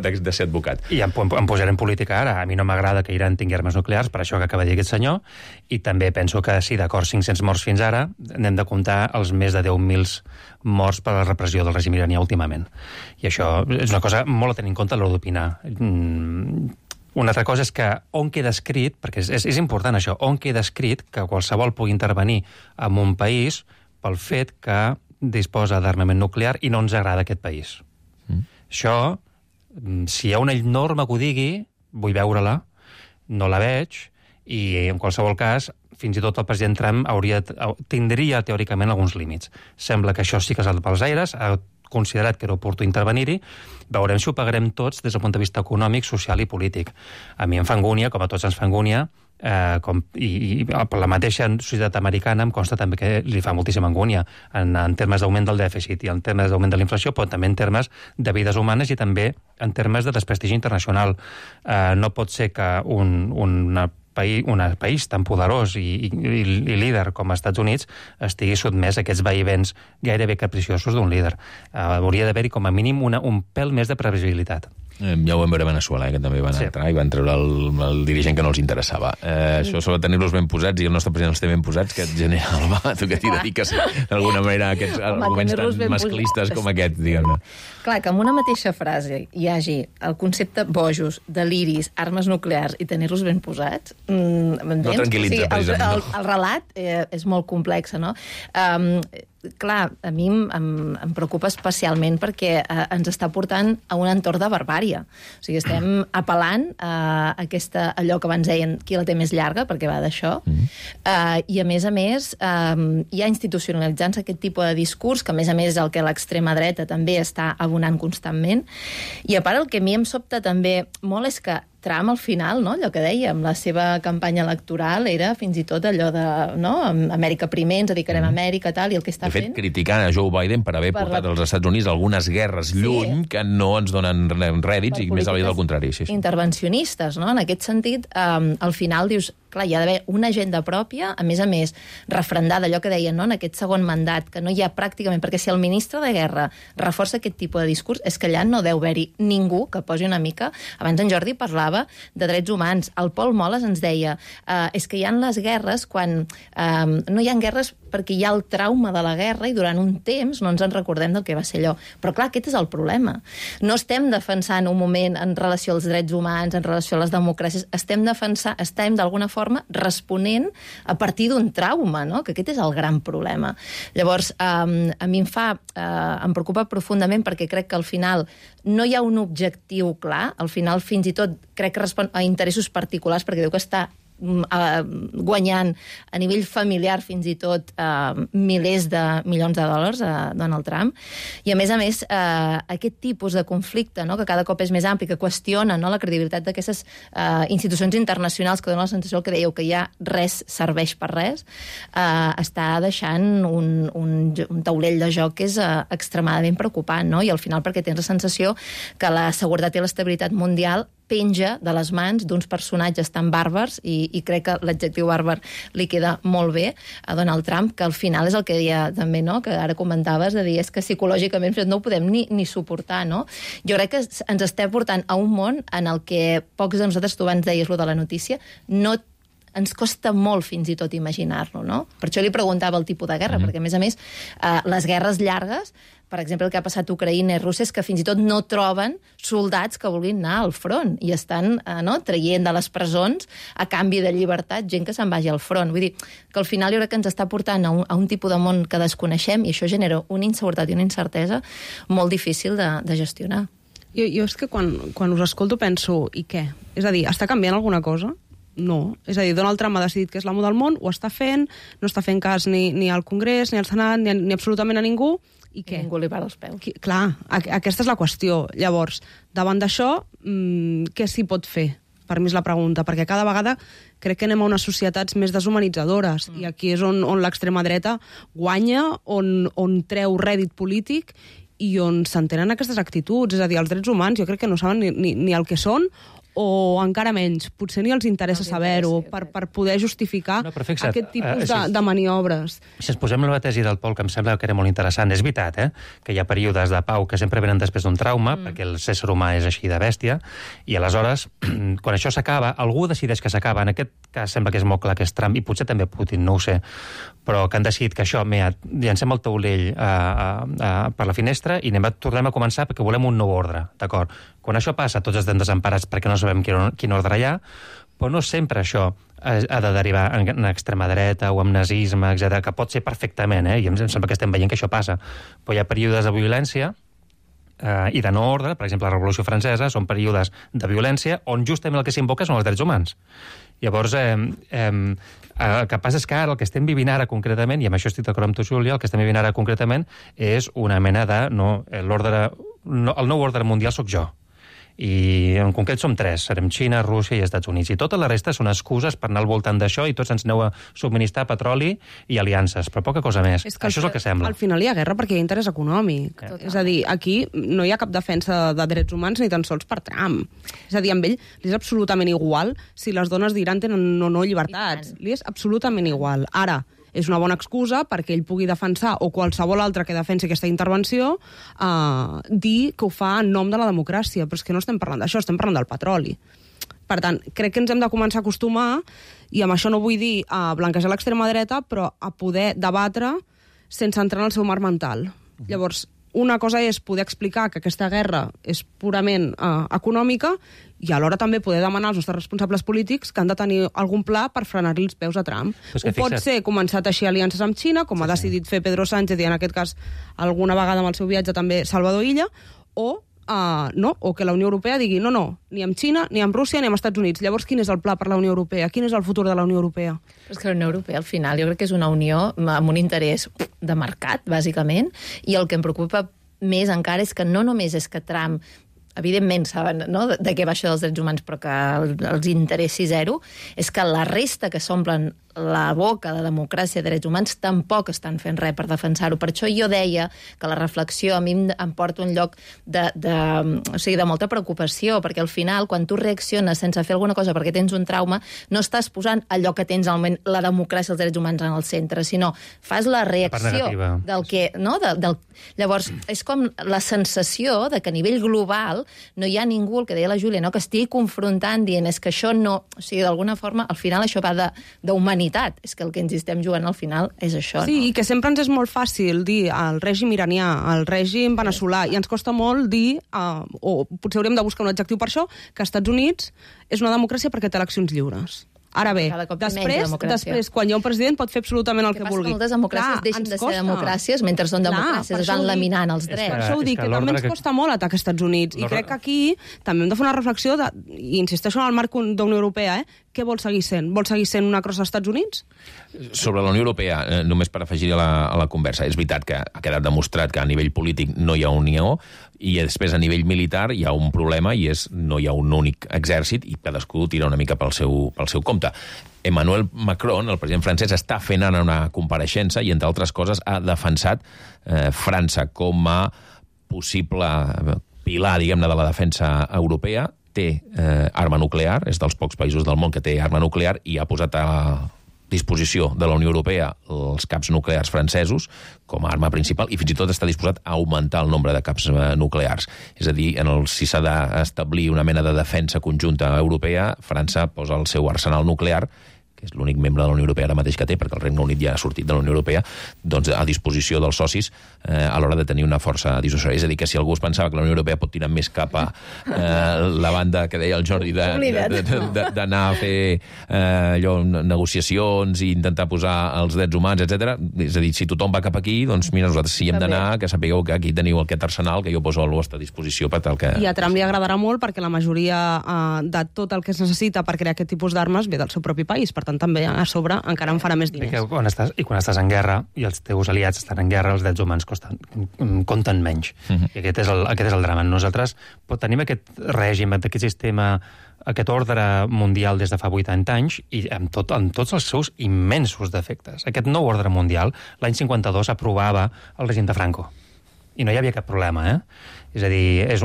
advocat. I em posaré en política ara. A mi no m'agrada que Iran tingui armes nuclears, per això que acaba de dir aquest senyor, i també penso que sí, d'acord, 500 morts fins ara, n'hem de comptar els més de 10.000 morts per la repressió del règim iranià últimament. I això és una cosa molt a tenir en compte a l'hora d'opinar. Una altra cosa és que on queda escrit, perquè és important això, on queda escrit que qualsevol pugui intervenir en un país pel fet que disposa d'armament nuclear i no ens agrada aquest país. Això, si hi ha una norma que ho digui, vull veure-la, no la veig, i en qualsevol cas, fins i tot el president Trump tindria teòricament alguns límits. Sembla que això sí que s'ha pels aires, ha considerat que era oportú intervenir-hi, veurem si ho pagarem tots des del punt de vista econòmic, social i polític. A mi em fa angúnia, com a tots ens fa angúnia, i per la mateixa societat americana em consta també que li fa moltíssima angúnia en termes d'augment del dèficit i en termes d'augment de la inflació, però també en termes de vides humanes i també en termes de desprestigi internacional. No pot ser que un país tan poderós i líder com els Estats Units estigui sotmès a aquests vaivens gairebé capriciosos d'un líder. Hauria d'haver-hi com a mínim un pèl més de previsibilitat. Ja ho vam veure a Veneçuela, que també van entrar i van treure el dirigent que no els interessava. Això sobre tenir-los ben posats, i el nostre president els té ben posats, que et genera tu que t'hi dediques d'alguna manera a aquests arguments tan masclistes com aquest, diguem-ne. Clar, que en una mateixa frase hi hagi el concepte bojos, deliris, armes nuclears i tenir-los ben posats, no tranquil·litza, precisament. El relat és molt complex, no? Clar, a mi em preocupa especialment perquè ens està portant a un entorn de barbària. O sigui, estem apel·lant a allò que abans deien qui la té més llarga, perquè va d'això, i a més, hi ha institucionalitzant-se aquest tipus de discurs, que a més és el que l'extrema dreta també està abonant constantment. I a part, el que a mi em sobta també molt és que Trump, al final, no? Allò que dèiem, la seva campanya electoral era fins i tot allò de, no? Amèrica primer, ens dedicarem a Amèrica, tal, i el que està fent... De fet, criticant a Joe Biden per haver portat als Estats Units algunes guerres lluny que no ens donen rèdits i més aviat al contrari. Intervencionistes, no? En aquest sentit, al final dius, clar, hi ha d'haver una agenda pròpia, a més, refrendada, allò que deien, no? En aquest segon mandat, que no hi ha pràcticament... Perquè si el ministre de Guerra reforça aquest tipus de discurs, és que allà no deu haver-hi ningú que posi una mica... Abans en Jordi parlava de drets humans. El Pol Moles ens deia és que hi ha les guerres quan... no hi ha guerres perquè hi ha el trauma de la guerra i durant un temps no ens en recordem del que va ser allò. Però clar, aquest és el problema. No estem defensant un moment en relació als drets humans, en relació a les democràcies, estem d'alguna forma responent a partir d'un trauma, no? Que aquest és el gran problema. Llavors, a mi em preocupa profundament perquè crec que al final no hi ha un objectiu clar, al final fins i tot crec que respon a interessos particulars perquè diu que està guanyant a nivell familiar fins i tot milers de milions de dòlars a Donald Trump. I a més, aquest tipus de conflicte, no? Que cada cop és més ampli, que qüestiona, no? La credibilitat d'aquestes institucions internacionals que donen la sensació que dèieu que ja res serveix per res, està deixant un taulell de joc que és extremadament preocupant, no? I al final perquè tens la sensació que la seguretat i l'estabilitat mundial penja de les mans d'uns personatges tan bàrbars, i crec que l'adjectiu bàrbar li queda molt bé a Donald Trump, que al final és el que deia també, no? Que ara comentaves, de dir, és que psicològicament no ho podem ni suportar, no? Jo crec que ens estem portant a un món en el que pocs de nosaltres, tu abans deies lo de la notícia, no ens costa molt fins i tot imaginar-lo, no? Per això li preguntava el tipus de guerra, perquè a més, les guerres llargues, per exemple, el que ha passat a Ucraïna i Rússia és que fins i tot no troben soldats que vulguin anar al front i estan traient de les presons a canvi de llibertat gent que se'n vagi al front. Vull dir que al final jo crec que ens està portant a un tipus de món que desconeixem i això genera una inseguretat i una incertesa molt difícil de gestionar. Jo és que quan us escolto penso, i què? És a dir, està canviant alguna cosa? No. És a dir, Donald Trump ha decidit que és l'amo del món, ho està fent, no està fent cas ni al Congrés, ni al Senat, ni absolutament a ningú, i què? Ningú li para els peus. Clar, aquesta és la qüestió. Llavors, davant d'això, què s'hi pot fer? Per mi és la pregunta, perquè cada vegada crec que anem a unes societats més deshumanitzadores, i aquí és on l'extrema dreta guanya, on treu rèdit polític i on s'entenen aquestes actituds. És a dir, els drets humans jo crec que no saben ni el que són, o encara menys, potser ni els interessa saber-ho per poder justificar aquest tipus de maniobres. Si ens posem la tesi del Pol, que em sembla que era molt interessant, és veritat, que hi ha períodes de pau que sempre venen després d'un trauma, perquè el ésser humà és així de bèstia, i aleshores, quan això s'acaba, algú decideix que s'acaba, en aquest cas sembla que és molt clar que és Trump, i potser també Putin, no ho sé, però que han decidit que això, llancem el taulell per la finestra i tornem a començar perquè volem un nou ordre, d'acord? Quan això passa, tots estem desemparats perquè no sabem quin ordre hi ha, però no sempre això ha de derivar en extrema dreta o en nazisme, etc., que pot ser perfectament, i em sembla que estem veient que això passa. Però hi ha períodes de violència i de no ordre, per exemple, la Revolució Francesa, són períodes de violència on justament el que s'invoca són els drets humans. Llavors, el que passa és que ara el que estem vivint ara concretament, i amb això estic d'acord amb tu, Júlia, el que estem vivint ara concretament és una mena de... el nou ordre mundial sóc jo. I en concret som 3, serem Xina, Rússia i Estats Units. I tota la resta són excuses per anar al voltant d'això i tots ens aneu a subministrar petroli i aliances, però poca cosa més. Això és el que sembla. Al final hi ha guerra perquè hi ha interès econòmic. És a dir, aquí no hi ha cap defensa de drets humans ni tan sols per Trump. És a dir, amb ell li és absolutament igual si les dones d'Iran tenen o no llibertats. Li és absolutament igual. Ara, és una bona excusa perquè ell pugui defensar, o qualsevol altre que defensi aquesta intervenció, dir que ho fa en nom de la democràcia. Però és que no estem parlant d'això, estem parlant del petroli. Per tant, crec que ens hem de començar a acostumar, i amb això no vull dir a blanquejar l'extrema dreta, però a poder debatre sense entrar en el seu marc mental. Llavors, una cosa és poder explicar que aquesta guerra és purament econòmica i alhora també poder demanar als nostres responsables polítics que han de tenir algun pla per frenar-li els peus a Trump. Ho pot ser començar a teixir aliances amb Xina, com ha decidit fer Pedro Sánchez i en aquest cas alguna vegada amb el seu viatge també Salvador Illa, o que la Unió Europea digui no, ni amb Xina, ni amb Rússia, ni amb Estats Units. Llavors, quin és el pla per la Unió Europea? Quin és el futur de la Unió Europea? És que la Unió Europea, al final, jo crec que és una unió amb un interès de mercat, bàsicament, i el que em preocupa més encara és que no només és que Trump evidentment saben, no?, de què va això dels drets humans, però que els interessi zero, és que la resta que s'omplen la boca de democràcia i drets humans tampoc estan fent res per defensar-ho. Per això jo deia que la reflexió a mi em porta un lloc de molta preocupació, perquè al final, quan tu reacciones sense fer alguna cosa perquè tens un trauma, no estàs posant allò que tens al moment, la democràcia i els drets humans en el centre, sinó fas la reacció del que... No? Llavors, és com la sensació de que a nivell global no hi ha ningú, el que deia la Júlia, no?, que estigui confrontant, dient és que això no... O sigui, d'alguna forma, al final això va d'humanitat. És que el que ens estem jugant al final és això, no? Sí, i que sempre ens és molt fàcil dir al règim iranià, al règim veneçolà, i ens costa molt dir, o potser hauríem de buscar un adjectiu per això, que Estats Units és una democràcia perquè té eleccions lliures. Ara bé, després, quan hi ha un president, pot fer absolutament el que vulgui. Moltes democràcies deixen de ser democràcies mentre són democràcies, es van laminant els drets. Per això ho dic, que també ens costa molt atacar Estats Units. I crec que aquí també hem de fer una reflexió, i insisteixo en el marc d'Unió Europea, què vol seguir sent? Vol seguir sent una crossa als Estats Units? Sobre la Unió Europea, només per afegir a la conversa, és veritat que ha quedat demostrat que a nivell polític no hi ha unió, i després a nivell militar hi ha un problema, i és no hi ha un únic exèrcit i cadascú tira una mica pel seu compte. Emmanuel Macron, el president francès, està fent ara una compareixença i, entre altres coses, ha defensat França com a possible pilar, diguem-ne, de la defensa europea. Té arma nuclear, és dels pocs països del món que té arma nuclear, i ha posat a disposició de la Unió Europea els caps nuclears francesos com a arma principal, i fins i tot està disposat a augmentar el nombre de caps nuclears. És a dir, si s'ha d'establir una mena de defensa conjunta europea, França posa el seu arsenal nuclear, que és l'únic membre de la Unió Europea ara mateix que té, perquè el Regne Unit ja ha sortit de la Unió Europea, doncs a disposició dels socis a l'hora de tenir una força dissuasòria. És a dir, que si algú es pensava que la Unió Europea pot tirar més cap a la banda que deia el Jordi d'anar a fer negociacions i intentar posar els drets humans, etc. És a dir, si tothom va cap aquí, doncs mira, nosaltres si hem d'anar, que sapigueu que aquí teniu aquest arsenal que jo poso a la vostra disposició per tal que... I a Trump li agradarà molt perquè la majoria de tot el que es necessita per crear aquest tipus d'armes ve del seu propi país. Per tant, també a sobre encara en farà més diners. Quan estàs en guerra i els teus aliats estan en guerra, els drets humans compten menys. I aquest és el drama. Nosaltres tenim aquest règim, aquest sistema, aquest ordre mundial des de fa 80 anys i amb tots els seus immensos defectes. Aquest nou ordre mundial, l'any 52, aprovava el règim de Franco. I no hi havia cap problema, És a dir, és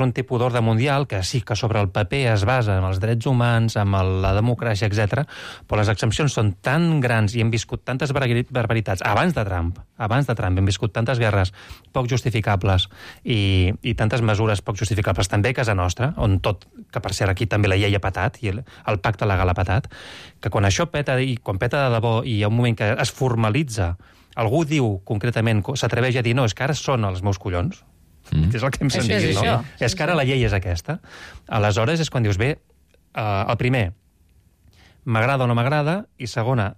un tipus d'ordre mundial que sí que sobre el paper es basa en els drets humans, en la democràcia, etc. Però les exempcions són tan grans i hem viscut tantes barbaritats abans de Trump hem viscut tantes guerres poc justificables i tantes mesures poc justificables també a casa nostra, on tot, que per cert aquí també la llei ha patat i el pacte legal ha patat, que quan això peta, i quan peta de debò i hi ha un moment que es formalitza, algú diu concretament, s'atreveix a dir no, és que ara són els meus collons, és el que hem sentit, no? És que ara la llei és aquesta. Aleshores és quan dius, bé, el primer, m'agrada o no m'agrada, i segona,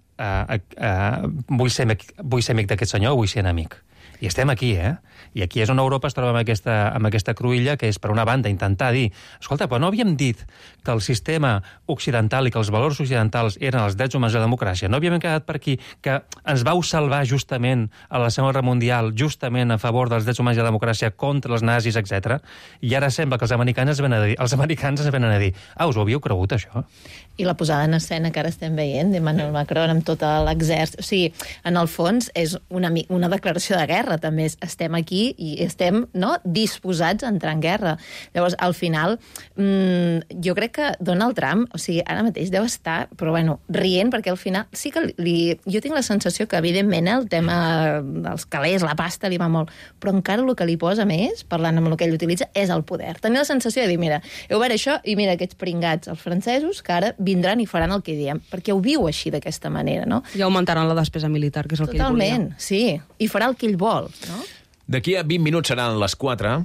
vull ser amic d'aquest senyor o vull ser enemic. I estem aquí, I aquí és on Europa es troba amb aquesta cruïlla, que és, per una banda, intentar dir, escolta, però no havíem dit que el sistema occidental i que els valors occidentals eren els drets humans i la democràcia. No havíem quedat per aquí que ens vau salvar justament a la Segona Guerra Mundial, justament a favor dels drets humans i la democràcia contra els nazis, etc. I ara sembla que els americans ens venen a dir, us ho havíeu cregut, això? I la posada en escena que ara estem veient d'Emmanuel Macron amb tot l'exèrcit. O sigui, en el fons és una declaració de guerra, també. Estem aquí i estem disposats a entrar en guerra. Llavors, al final, jo crec que Donald Trump, o sigui, ara mateix deu estar, però bueno, rient, perquè al final sí que jo tinc la sensació que, evidentment, el tema dels calés, la pasta, li va molt, però encara el que li posa més, parlant amb el que ell utilitza, és el poder. Tenia la sensació de dir, mira, heu veure això, i mira aquests pringats, els francesos, que ara vindran i faran el que diem, perquè ho viu així d'aquesta manera, no? I augmentaran la despesa militar, que és el que ell volia. Totalment, sí. I farà el que ell vol, no? D'aquí a 20 minuts seran les 4.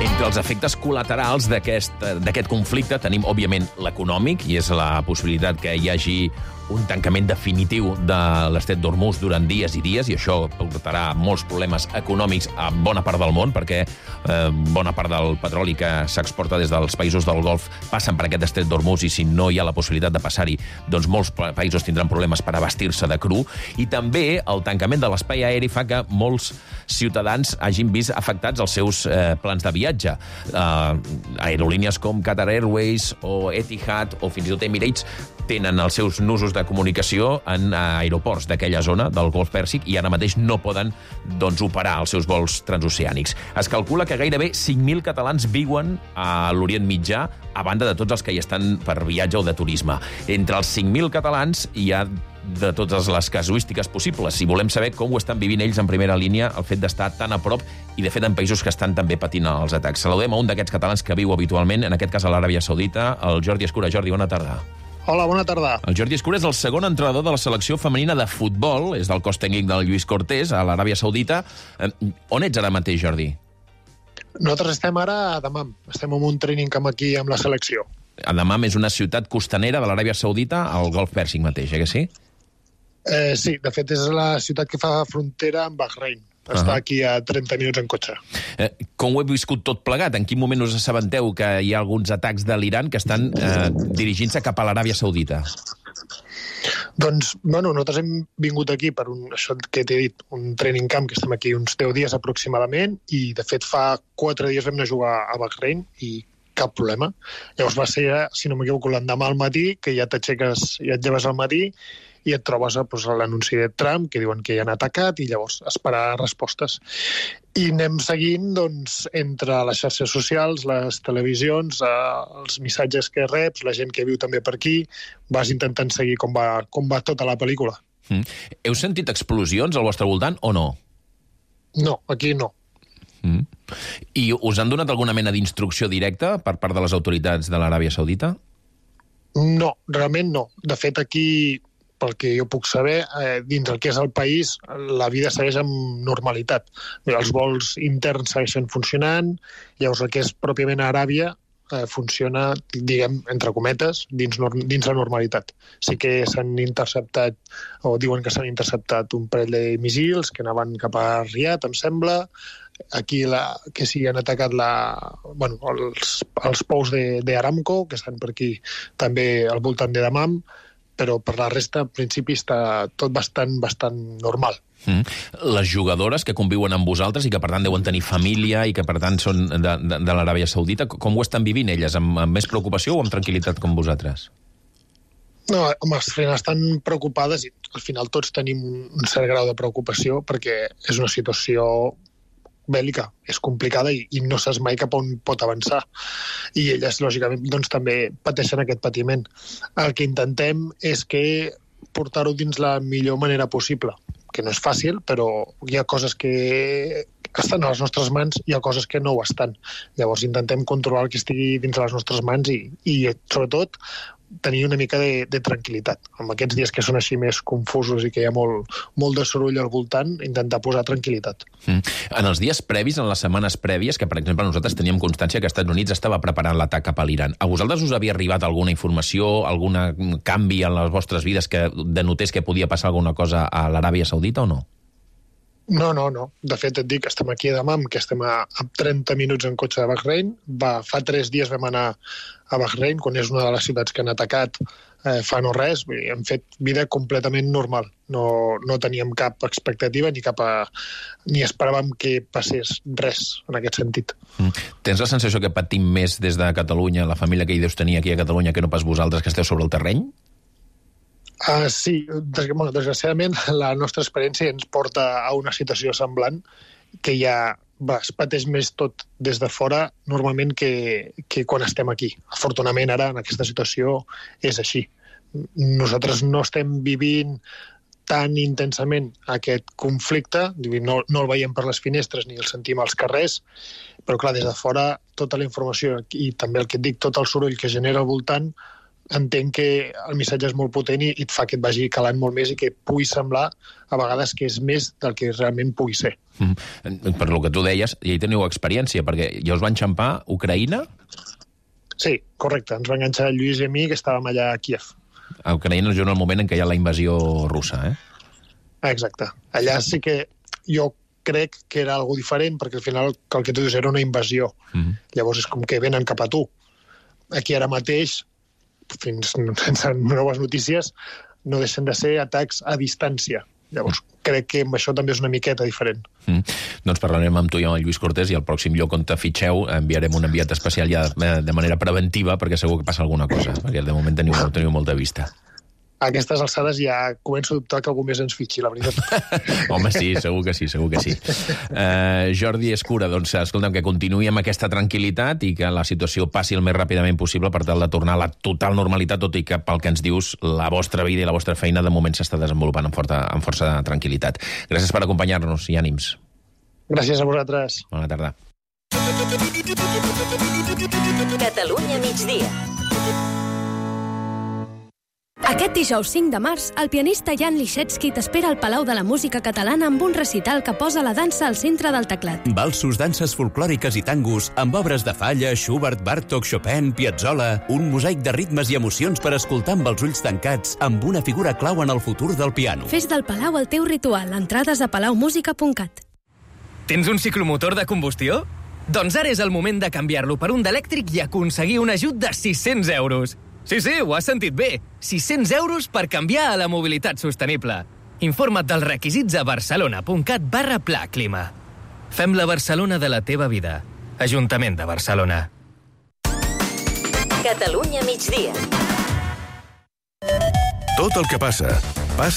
Entre els efectes col·laterals d'aquest conflicte tenim, òbviament, l'econòmic, i és la possibilitat que hi hagi un tancament definitiu de l'estret d'Hormuz durant dies i dies, i això portarà molts problemes econòmics a bona part del món, perquè bona part del petroli que s'exporta des dels països del Golf passen per aquest estret d'Hormuz, i si no hi ha la possibilitat de passar-hi, doncs molts països tindran problemes per abastir-se de cru, i també el tancament de l'espai aeri fa que molts ciutadans hagin vist afectats els seus plans de viatge. Aerolínies com Qatar Airways o Etihad o fins i tot Emirates tenen els seus nusos de comunicació en aeroports d'aquella zona del Golf Pèrsic i ara mateix no poden operar els seus vols transoceànics. Es calcula que gairebé 5.000 catalans viuen a l'Orient Mitjà, a banda de tots els que hi estan per viatge o de turisme. Entre els 5.000 catalans hi ha de totes les casuístiques possibles. Si volem saber com ho estan vivint ells en primera línia, el fet d'estar tan a prop i, de fet, en països que estan també patint els atacs. Saludem a un d'aquests catalans que viu habitualment, en aquest cas a l'Aràbia Saudita, el Jordi Escura. Jordi, bona tarda. Hola, bona tarda. El Jordi Escura és el segon entrenador de la selecció femenina de futbol, és del cos tècnic del Lluís Cortés, a l'Aràbia Saudita. On ets ara mateix, Jordi? Nosaltres estem ara a Dammam. Estem en un training camp aquí amb la selecció. Dammam és una ciutat costanera de l'Aràbia Saudita, al Golf Pèrsic mateix, que sí? Sí, de fet és la ciutat que fa frontera amb Bahrein. Està aquí a 30 minuts en cotxe. Com ho he viscut tot plegat? En quin moment us assabenteu que hi ha alguns atacs de l'Iran que estan dirigint-se cap a l'Aràbia Saudita? Doncs, nosaltres hem vingut aquí per això que t'he dit, un training camp, que estem aquí uns 10 dies aproximadament, i de fet fa 4 dies vam anar a jugar a Bahrein i cap problema. Llavors va ser, si no m'equivoco, l'endemà al matí, que ja t'aixeques, ja et lleves al matí, i et trobes l'anunci de Trump, que diuen que hi han atacat, i llavors esperar respostes. I anem seguint, doncs, entre les xarxes socials, les televisions, els missatges que reps, la gent que viu també per aquí, vas intentant seguir com va tota la pel·lícula. Heu sentit explosions al vostre voltant o no? No, aquí no. I us han donat alguna mena d'instrucció directa per part de les autoritats de l'Aràbia Saudita? No, realment no. De fet, aquí, pel que jo puc saber, dins el que és el país, la vida segueix amb normalitat. Els vols interns segueixen funcionant, llavors el que és pròpiament a Aràbia funciona, diguem, entre cometes, dins la normalitat. Sí que s'han interceptat, o diuen que s'han interceptat un parell de missils que anaven cap a Riad, em sembla. Aquí que sí han atacat els pous d'Aramco, que estan per aquí també al voltant de Dammam, però per la resta, en principi, està tot bastant normal. Les jugadores que conviuen amb vosaltres i que, per tant, deuen tenir família i que, per tant, són de l'Aràbia Saudita, com ho estan vivint elles? Amb més preocupació o amb tranquil·litat com vosaltres? No, home, al final estan preocupades i al final tots tenim un cert grau de preocupació perquè és una situació bèl·lica, és complicada i no saps mai cap on pot avançar. I elles, lògicament, doncs, també pateixen aquest patiment. El que intentem és que portar-ho dins la millor manera possible, que no és fàcil, però hi ha coses que estan a les nostres mans, hi ha coses que no ho estan. Llavors intentem controlar el que estigui dins de les nostres mans i sobretot, tenir una mica de tranquil·litat. En aquests dies que són així més confusos i que hi ha molt de soroll al voltant, intentar posar tranquil·litat. En els dies previs, en les setmanes prèvies, que per exemple nosaltres teníem constància que els Estats Units estava preparant l'atac cap a l'Iran, a vosaltres us havia arribat alguna informació, algun canvi en les vostres vides que denotés que podia passar alguna cosa a l'Aràbia Saudita o no? No. De fet, et dic, estem aquí a Dammam, que estem a 30 minuts en cotxe de Bahrein. Fa 3 dies vam anar a Bahrein, quan és una de les ciutats que han atacat fa no res. Hem fet vida completament normal. No teníem cap expectativa ni esperàvem que passés res en aquest sentit. Tens la sensació que patim més des de Catalunya, la família que hi deus tenir aquí a Catalunya, que no pas vosaltres que esteu sobre el terreny? Sí, desgraciadament la nostra experiència ens porta a una situació semblant, que ja es pateix més tot des de fora normalment que quan estem aquí. Afortunadament ara en aquesta situació és així. Nosaltres no estem vivint tan intensament aquest conflicte, no el veiem per les finestres ni el sentim als carrers, però clar, des de fora tota la informació i també el que et dic, tot el soroll que genera al voltant, entenc que el missatge és molt potent i et fa que et vagi calant molt més i que pugui semblar a vegades que és més del que realment pugui ser. Per lo que tu deies, ja hi teniu experiència, perquè ja us van enxampar Ucraïna? Sí, correcte. Ens va enganxar el Lluís i a mi, que estàvem allà a Kíev. A Ucraïna és en el moment en què hi ha la invasió russa, Exacte. Allà sí que jo crec que era algo diferent, perquè al final el que tu dius era una invasió. Llavors és com que venen cap a tu. Aquí ara mateix, fins sense noves notícies, no deixen de ser atacs a distància. Llavors, crec que amb això també és una miqueta diferent. Doncs parlarem amb tu i amb el Lluís Cortés i al pròxim lloc on te fitxeu enviarem un enviat especial ja de manera preventiva perquè segur que passa alguna cosa, perquè de moment teniu molta vista. A aquestes alçades ja començo a dubtar que algú més ens fitxi, la veritat. Home, sí, segur que sí. Jordi Escura, doncs, escolta'm, que continuï amb aquesta tranquil·litat i que la situació passi el més ràpidament possible per tal de tornar a la total normalitat, tot i que pel que ens dius, la vostra vida i la vostra feina de moment s'està desenvolupant amb força tranquil·litat. Gràcies per acompanyar-nos i ànims. Gràcies a vosaltres. Bona tarda. Catalunya migdia. Aquest dijous 5 de març, el pianista Jan Liszewski t'espera al Palau de la Música Catalana amb un recital que posa la dansa al centre del teclat. Valsos, danses folclòriques i tangos, amb obres de Falla, Schubert, Bartók, Chopin, Piazzolla, un mosaic de ritmes i emocions per escoltar amb els ulls tancats, amb una figura clau en el futur del piano. Fes del Palau el teu ritual. Entrades a palaumusica.cat. Tens un ciclomotor de combustió? Doncs ara és el moment de canviar-lo per un d'elèctric i aconseguir un ajut de 600 euros. Sí, ho has sentit bé. 600 euros per canviar a la mobilitat sostenible. Informa't dels requisits a barcelona.cat/Pla Clima. Fem la Barcelona de la teva vida. Ajuntament de Barcelona. Catalunya migdia. Tot el que pasa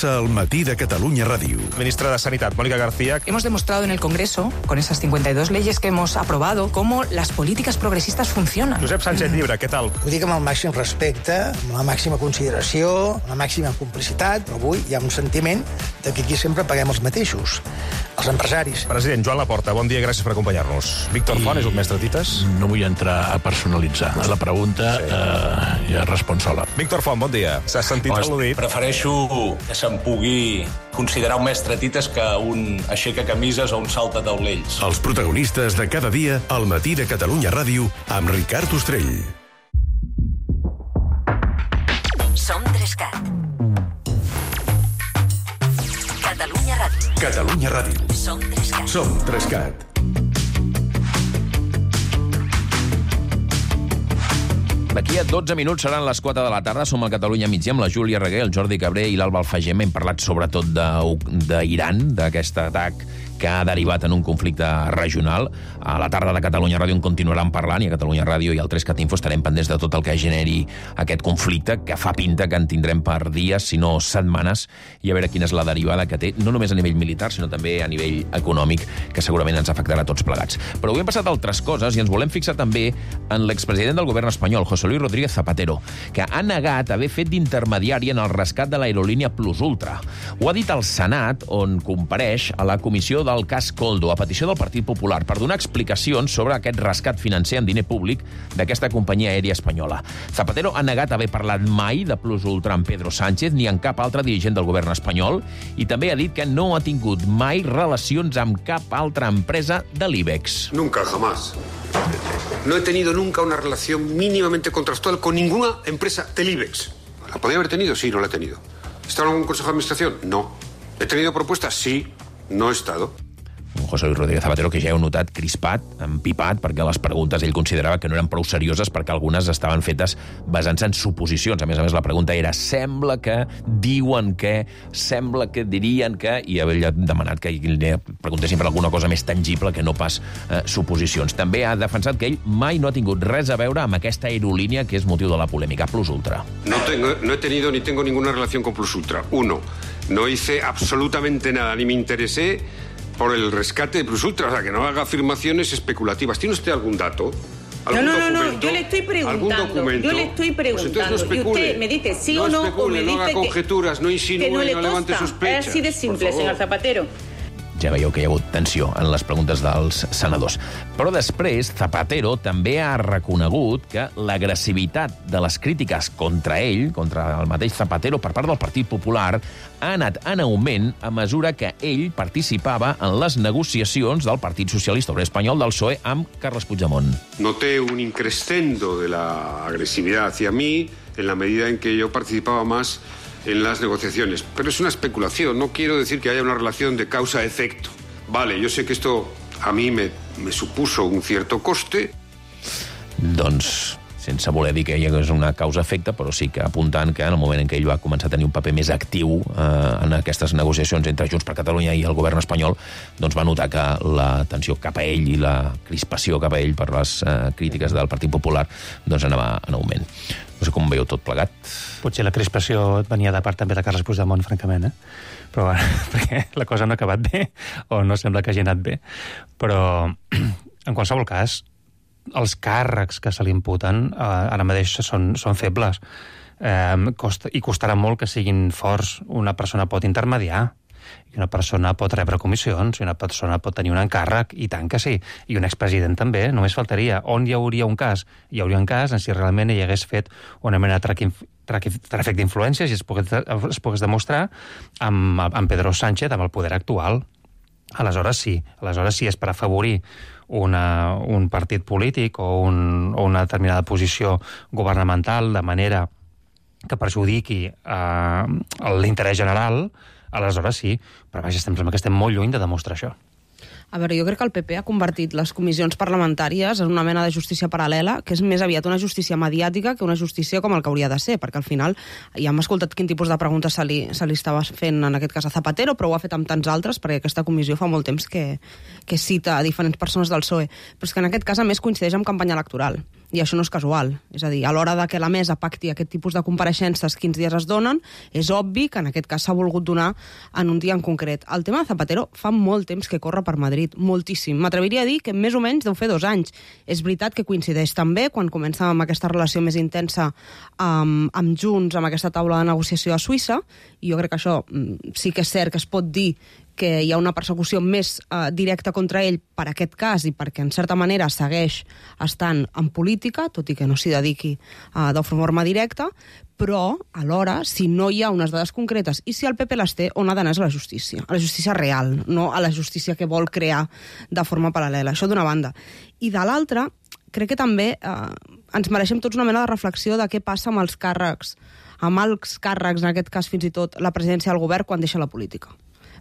al matí de Catalunya Ràdio. Ministra de Sanidad, Mónica García. Hemos demostrado en el Congreso, con esas 52 leyes que hemos aprobado, cómo las políticas progresistas funcionan. Josep Sánchez Llibre, què tal? Ho dic amb el màxim respecte, amb la màxima consideració, amb la màxima complicitat, però avui hi ha un sentiment de que aquí sempre paguem els mateixos, els empresaris. President Joan Laporta, bon dia, gràcies per acompanyar-nos. Víctor Font és un mestre tites? No vull entrar a personalitzar. La pregunta ja respon sola. Víctor Font, bon dia. S'ha sentit al·ludit? Prefereixo que se'n pugui considerar un mestre tites que un aixeca camises o un salta taulells. Els protagonistes de cada dia al matí de Catalunya Ràdio amb Ricard Ostrell. Som 3CAT. Catalunya Ràdio. Catalunya Ràdio. Som 3CAT. Som 3CAT. D'aquí a 12 minuts seran les 4 de la tarda. Som al Catalunya migdia amb la Júlia Reguer, el Jordi Cabré i l'Alba Alfagem. Hem parlat sobretot d'Iran, d'aquest atac que ha derivat en un conflicte regional. A la tarda de Catalunya Ràdio en continuaran parlant i a Catalunya Ràdio i al 3CAT Info estarem pendents de tot el que generi aquest conflicte, que fa pinta que en tindrem per dies, si no setmanes, i a veure quina és la derivada que té, no només a nivell militar, sinó també a nivell econòmic, que segurament ens afectarà a tots plegats. Però avui hem passat altres coses i ens volem fixar també en l'expresident del govern espanyol, José Luis Rodríguez Zapatero, que ha negat haver fet d'intermediari en el rescat de l'aerolínia Plus Ultra. Ho ha dit al Senat, on compareix a la comissió del cas Koldo, a petició del Partit Popular, per donar explicacions sobre aquest rescat financer amb diner públic d'aquesta companyia aèria espanyola. Zapatero ha negat haver parlat mai de Plus Ultra amb Pedro Sánchez ni amb cap altre dirigent del govern espanyol i també ha dit que no ha tingut mai relacions amb cap altra empresa de l'IBEX. Nunca, jamás. No he tenido nunca una relación mínimamente contractual con ninguna empresa del IBEX. ¿La podía haber tenido? Sí, no la he tenido. ¿He estado en algún consejo de administración? No. ¿He tenido propuestas? Sí. No he estado. Un José Luis Rodríguez Zapatero que ja heu notat crispat, empipat, perquè les preguntes ell considerava que no eren prou serioses perquè algunes estaven fetes basant-se en suposicions. A més, la pregunta era sembla que, diuen que, sembla que, dirien que, i havia demanat que preguntessin per alguna cosa més tangible que no pas suposicions. També ha defensat que ell mai no ha tingut res a veure amb aquesta aerolínia que és motiu de la polèmica, Plus Ultra. No he tenido ni tengo ninguna relación con Plus Ultra. Uno, no hice absolutamente nada, ni me interesé por el rescate de Plus Ultra, o sea, que no haga afirmaciones especulativas. ¿Tiene usted algún dato? No, yo le estoy preguntando. Pues entonces no especule. Y usted me dice sí o no, o me dice no haga conjeturas, no insinúe, no levante sospechas. Es así de simple, señor Zapatero. Ja veieu que hi ha hagut tensió en les preguntes dels senadors. Però després, Zapatero també ha reconegut que l'agressivitat de les crítiques contra ell, contra el mateix Zapatero, per part del Partit Popular, ha anat en augment a mesura que ell participava en les negociacions del Partit Socialista Obrer Espanyol del PSOE amb Carles Puigdemont. Noté un increscendo de la agresividad hacia mí en la medida en que yo participaba más en las negociaciones. Pero es una especulación, no quiero decir que haya una relación de causa-efecto. Vale, yo sé que esto a mí me supuso un cierto coste. Doncs, sense voler dir que hi hagués una causa-efecte, però sí que apuntant que en el moment en què ell va començar a tenir un paper més actiu en aquestes negociacions entre Junts per Catalunya i el govern espanyol, doncs va notar que la tensió cap a ell i la crispació cap a ell per les crítiques del Partit Popular doncs anava en augment. No sé com veieu tot plegat. Potser la crispació venia de part també de Carles Puigdemont, francament, Però perquè la cosa no ha acabat bé, o no sembla que hagi anat bé. Però, en qualsevol cas, els càrrecs que se li imputen ara mateix són febles. I costarà molt que siguin forts. Una persona pot intermediar, i una persona pot rebre comissions, i una persona pot tenir un encàrrec, i tant que sí. I un expresident també, només faltaria. On hi hauria un cas? Hi hauria un cas en si realment hi hagués fet una mena de tràfic d'influències i es pogués demostrar amb Pedro Sánchez, amb el poder actual. Aleshores sí és per afavorir un partit polític o una determinada posició governamental de manera que perjudiqui l'interès general. Aleshores sí, però vaja, sembla que estem molt lluny de demostrar això. A veure, jo crec que el PP ha convertit les comissions parlamentàries en una mena de justícia paral·lela, que és més aviat una justícia mediàtica que una justícia com el que hauria de ser, perquè al final ja hem escoltat quin tipus de preguntes se li estava fent, en aquest cas a Zapatero, però ho ha fet amb tants altres, perquè aquesta comissió fa molt temps que cita a diferents persones del PSOE. Però és que en aquest cas, a més, coincideix amb campanya electoral. I això no és casual. És a dir, a l'hora de que la mesa pacti aquest tipus de compareixences, quins dies es donen, és obvi que en aquest cas s'ha volgut donar en un dia en concret. El tema de Zapatero fa molt temps que corre per Madrid, moltíssim. M'atreviria a dir que més o menys deu fer 2 anys. És veritat que coincideix també quan comença amb aquesta relació més intensa amb Junts, amb aquesta taula de negociació a Suïssa, i jo crec que això sí que és cert que es pot dir que hi ha una persecució més directa contra ell per aquest cas i perquè, en certa manera, segueix estant en política, tot i que no s'hi dediqui de forma directa, però, alhora, si no hi ha unes dades concretes i si el PP les té, on ha d'anar és a la justícia real, no a la justícia que vol crear de forma paral·lela. Això d'una banda. I de l'altra, crec que també ens mereixem tots una mena de reflexió de què passa amb els càrrecs, en aquest cas fins i tot la presidència del govern, quan deixa la política.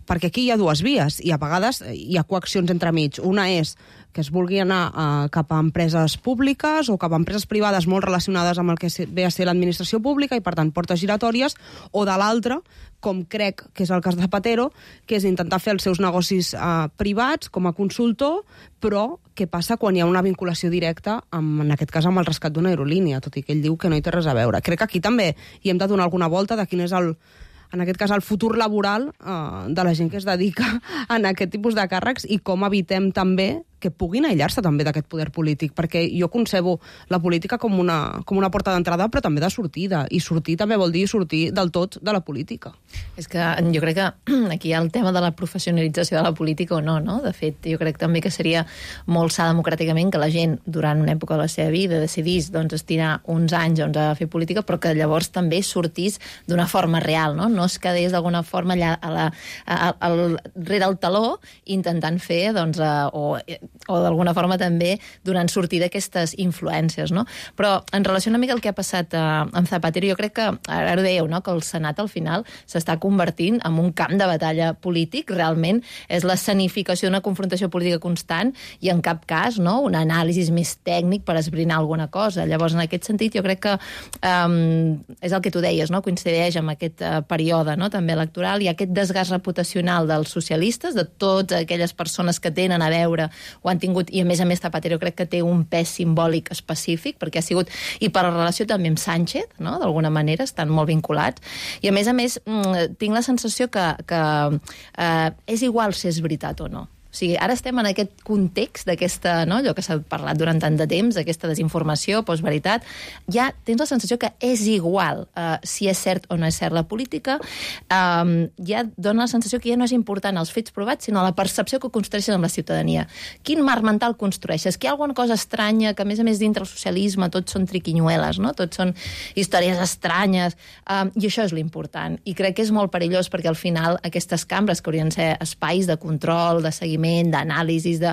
Perquè aquí hi ha 2 vies i a vegades hi ha coaccions entremig. Una és que es vulgui anar cap a empreses públiques o cap a empreses privades molt relacionades amb el que ve a ser l'administració pública i, per tant, portes giratòries, o de l'altra, com crec que és el cas de Zapatero, que és intentar fer els seus negocis privats com a consultor, però què passa quan hi ha una vinculació directa, en aquest cas amb el rescat d'una aerolínia, tot i que ell diu que no hi té res a veure. Crec que aquí també hi hem de donar alguna volta de quin és en aquest cas, el futur laboral de la gent que es dedica a aquest tipus de càrrecs i com evitem també que puguin aïllar-se també d'aquest poder polític, perquè jo concebo la política com una porta d'entrada, però també de sortida, i sortir també vol dir sortir del tot de la política. És que jo crec que aquí hi ha el tema de la professionalització de la política o no, no? De fet, jo crec també que seria molt sa democràticament que la gent, durant una època de la seva vida, decidís estirar uns anys a fer política, però que llavors també sortís d'una forma real, no? No es quedés d'alguna forma allà rere el taló intentant fer, o d'alguna forma també donant sortida a aquestes influències, no? Però en relació una mica al que ha passat amb Zapatero, jo crec que, ara ho dèieu, no?, que el Senat al final s'està convertint en un camp de batalla polític, realment és l'escenificació d'una confrontació política constant i en cap cas, no?, un anàlisi més tècnic per esbrinar alguna cosa. Llavors, en aquest sentit, jo crec que és el que tu deies, no?, coincideix amb aquest període, no?, també electoral, i aquest desgast reputacional dels socialistes, de totes aquelles persones que tenen a veure o han tingut, i a més Zapatero crec que té un pes simbòlic específic, perquè ha sigut, i per la relació també amb Sánchez, no?, d'alguna manera, estan molt vinculats, i a més tinc la sensació que és igual si és veritat o no. O sigui, ara estem en aquest context d'aquesta, no?, allò que s'ha parlat durant tant de temps, aquesta desinformació, postveritat, ja tens la sensació que és igual si és cert o no és cert la política, ja dona la sensació que ja no és important els fets provats, sinó la percepció que construeixes amb la ciutadania. Quin marc mental construeixes? Que hi ha alguna cosa estranya, que a més dintre el socialisme tots són triquinyueles, no?, tots són històries estranyes, i això és l'important. I crec que és molt perillós perquè al final aquestes cambres, que haurien de ser espais de control, de seguiment, d'anàlisis, de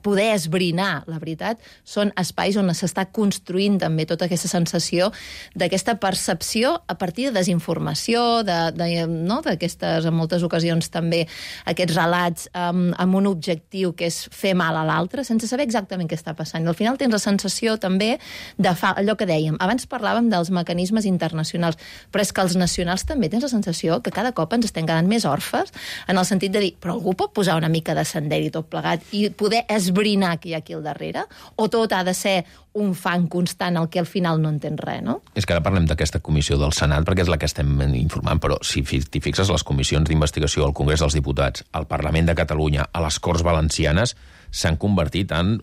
poder esbrinar la veritat, són espais on s'està construint també tota aquesta sensació d'aquesta percepció a partir de desinformació, d'aquestes, en moltes ocasions també, aquests relats amb un objectiu que és fer mal a l'altre, sense saber exactament què està passant. I al final tens la sensació també de allò que dèiem. Abans parlàvem dels mecanismes internacionals, però és que els nacionals també tens la sensació que cada cop ens estem quedant més orfes, en el sentit de dir, però algú pot posar una mica de i tot plegat, i poder esbrinar que hi ha aquí al darrere, o tot ha de ser un fang constant al que al final no entens res, no? És que ara parlem d'aquesta comissió del Senat perquè és la que estem informant, però si t'hi fixes, les comissions d'investigació al Congrés dels Diputats, al Parlament de Catalunya, a les Corts Valencianes, s'han convertit en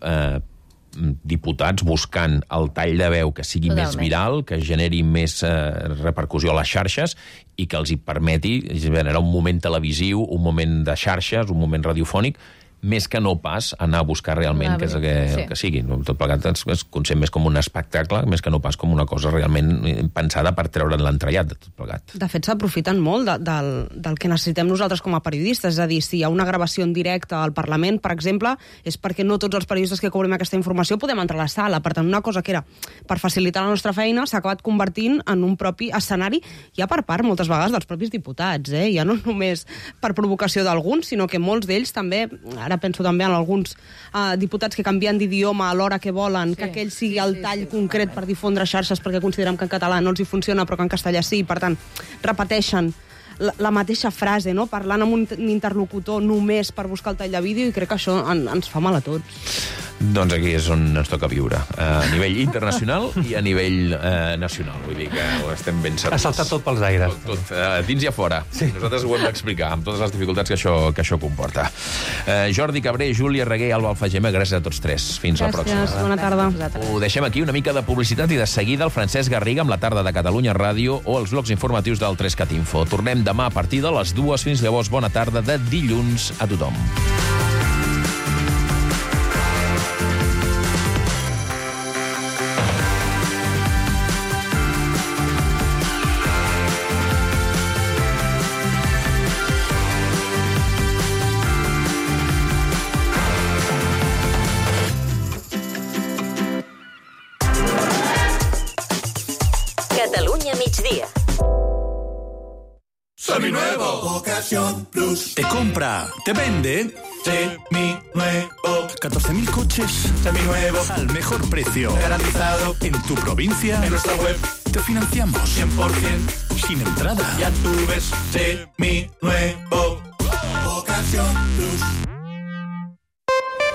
diputats buscant el tall de veu que sigui més viral, que generi més repercussió a les xarxes i que els hi permeti generar un moment televisiu, un moment de xarxes, un moment radiofònic, més que no pas anar a buscar realment què és el que sigui. Tot plegat es concep més com un espectacle, més que no pas com una cosa realment pensada per treure'n l'entrellat de tot plegat. De fet, s'aprofiten molt del que necessitem nosaltres com a periodistes, és a dir, si hi ha una gravació en directe al Parlament, per exemple, és perquè no tots els periodistes que cobrim aquesta informació podem entrar a la sala. Per tant, una cosa que era per facilitar la nostra feina s'ha acabat convertint en un propi escenari, ja per part, moltes vegades, dels propis diputats, ja no només per provocació d'alguns, sinó que molts d'ells també, ara penso també en alguns diputats que canvien d'idioma a l'hora que volen, que aquell sigui el tall concret per difondre xarxes perquè considerem que en català no els hi funciona però que en castellà sí, per tant, repeteixen la mateixa frase, no?, parlant amb un interlocutor només per buscar el tall de vídeo, i crec que això ens fa mal a tots. Doncs aquí és on ens toca viure, a nivell internacional i a nivell nacional. Vull dir que ho estem ben servits. Ha saltat tot pels aires. Tot, dins i a fora. Sí. Nosaltres ho hem d'explicar, amb totes les dificultats que això comporta. Jordi Cabré, Júlia Reguer i Alba Alfagema, gràcies a tots tres. Fins la pròxima. Gràcies, bona tarda. Ho deixem aquí, una mica de publicitat, i de seguida el Francesc Garriga amb la tarda de Catalunya Ràdio o els blocs informatius del 3CAT Info. Tornem demà a partir de les 2. Fins llavors, bona tarda de dilluns a tothom. Catalunya migdia. Seminuevo. Ocasión Plus. Te compra, te vende. Seminuevo. 14.000 coches. Seminuevos. Al mejor precio. Garantizado. En tu provincia. En nuestra web. Te financiamos. 100%. Sin entrada. Ya tú ves. Seminuevo. Ocasión Plus.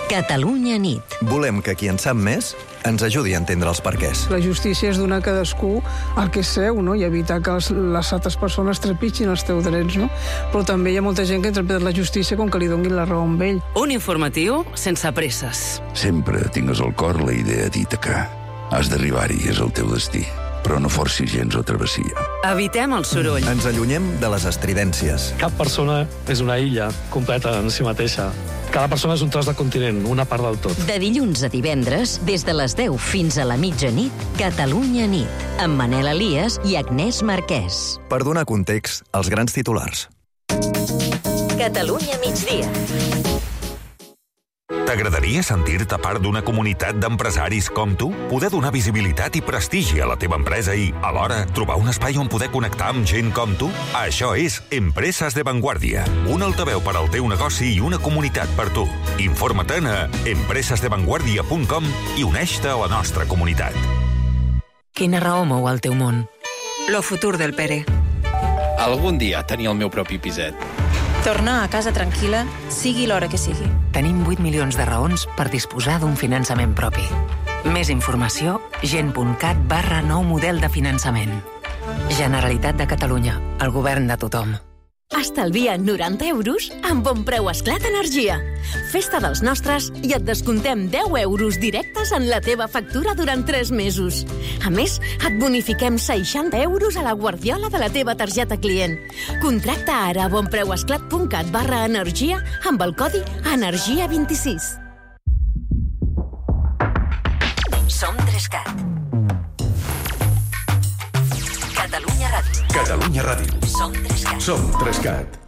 Catalunya nit. Volem que qui en sap més ens ajudi a entendre els perquès. La justícia és donar a cadascú el que és seu, no? I evitar que les altres persones trepitgin els teus drets, no? Però també hi ha molta gent que interpreta la justícia com que li donin la raó a ell. Un informatiu sense presses. Sempre tingues al cor la idea d'Ítaca. Has d'arribar-hi, és el teu destí. Però no forcis gens la travessia. Evitem el soroll. Ens allunyem de les estridències. Cap persona és una illa completa en si mateixa. Cada persona és un tros de continent, una part del tot. De dilluns a divendres, des de les 10 fins a la mitjanit, Catalunya nit, amb Manel Elias i Agnès Marquès. Per donar context als grans titulars. Catalunya migdia. T'agradaria sentir-te part d'una comunitat d'empresaris com tu? Poder donar visibilitat i prestigi a la teva empresa i, alhora, trobar un espai on poder connectar amb gent com tu? Això és Empreses de Vanguardia, un altaveu per al teu negoci i una comunitat per tu. Informa-te'n a empresesdevanguardia.com i uneix-te a la nostra comunitat. Quina raó mou el teu món? Lo futur del Pere. Algun dia tenir el meu propi piset. Tornar a casa tranquil·la, sigui l'hora que sigui. Tenim 8 milions de raons per disposar d'un finançament propi. Més informació, gent.cat/nou model de finançament. Generalitat de Catalunya, el govern de tothom. Estalvia 90 euros amb Bon Preu Esclat Energia. Festa dels nostres i et descontem 10 euros directes en la teva factura durant 3 mesos. A més, et bonifiquem 60 euros a la guardiola de la teva targeta client. Contracta ara a bonpreuesclat.cat/energia amb el codi ENERGIA26. Som 3CAT. Catalunya Ràdio. Catalunya Ràdio. Som 3CAT. Som 3CAT.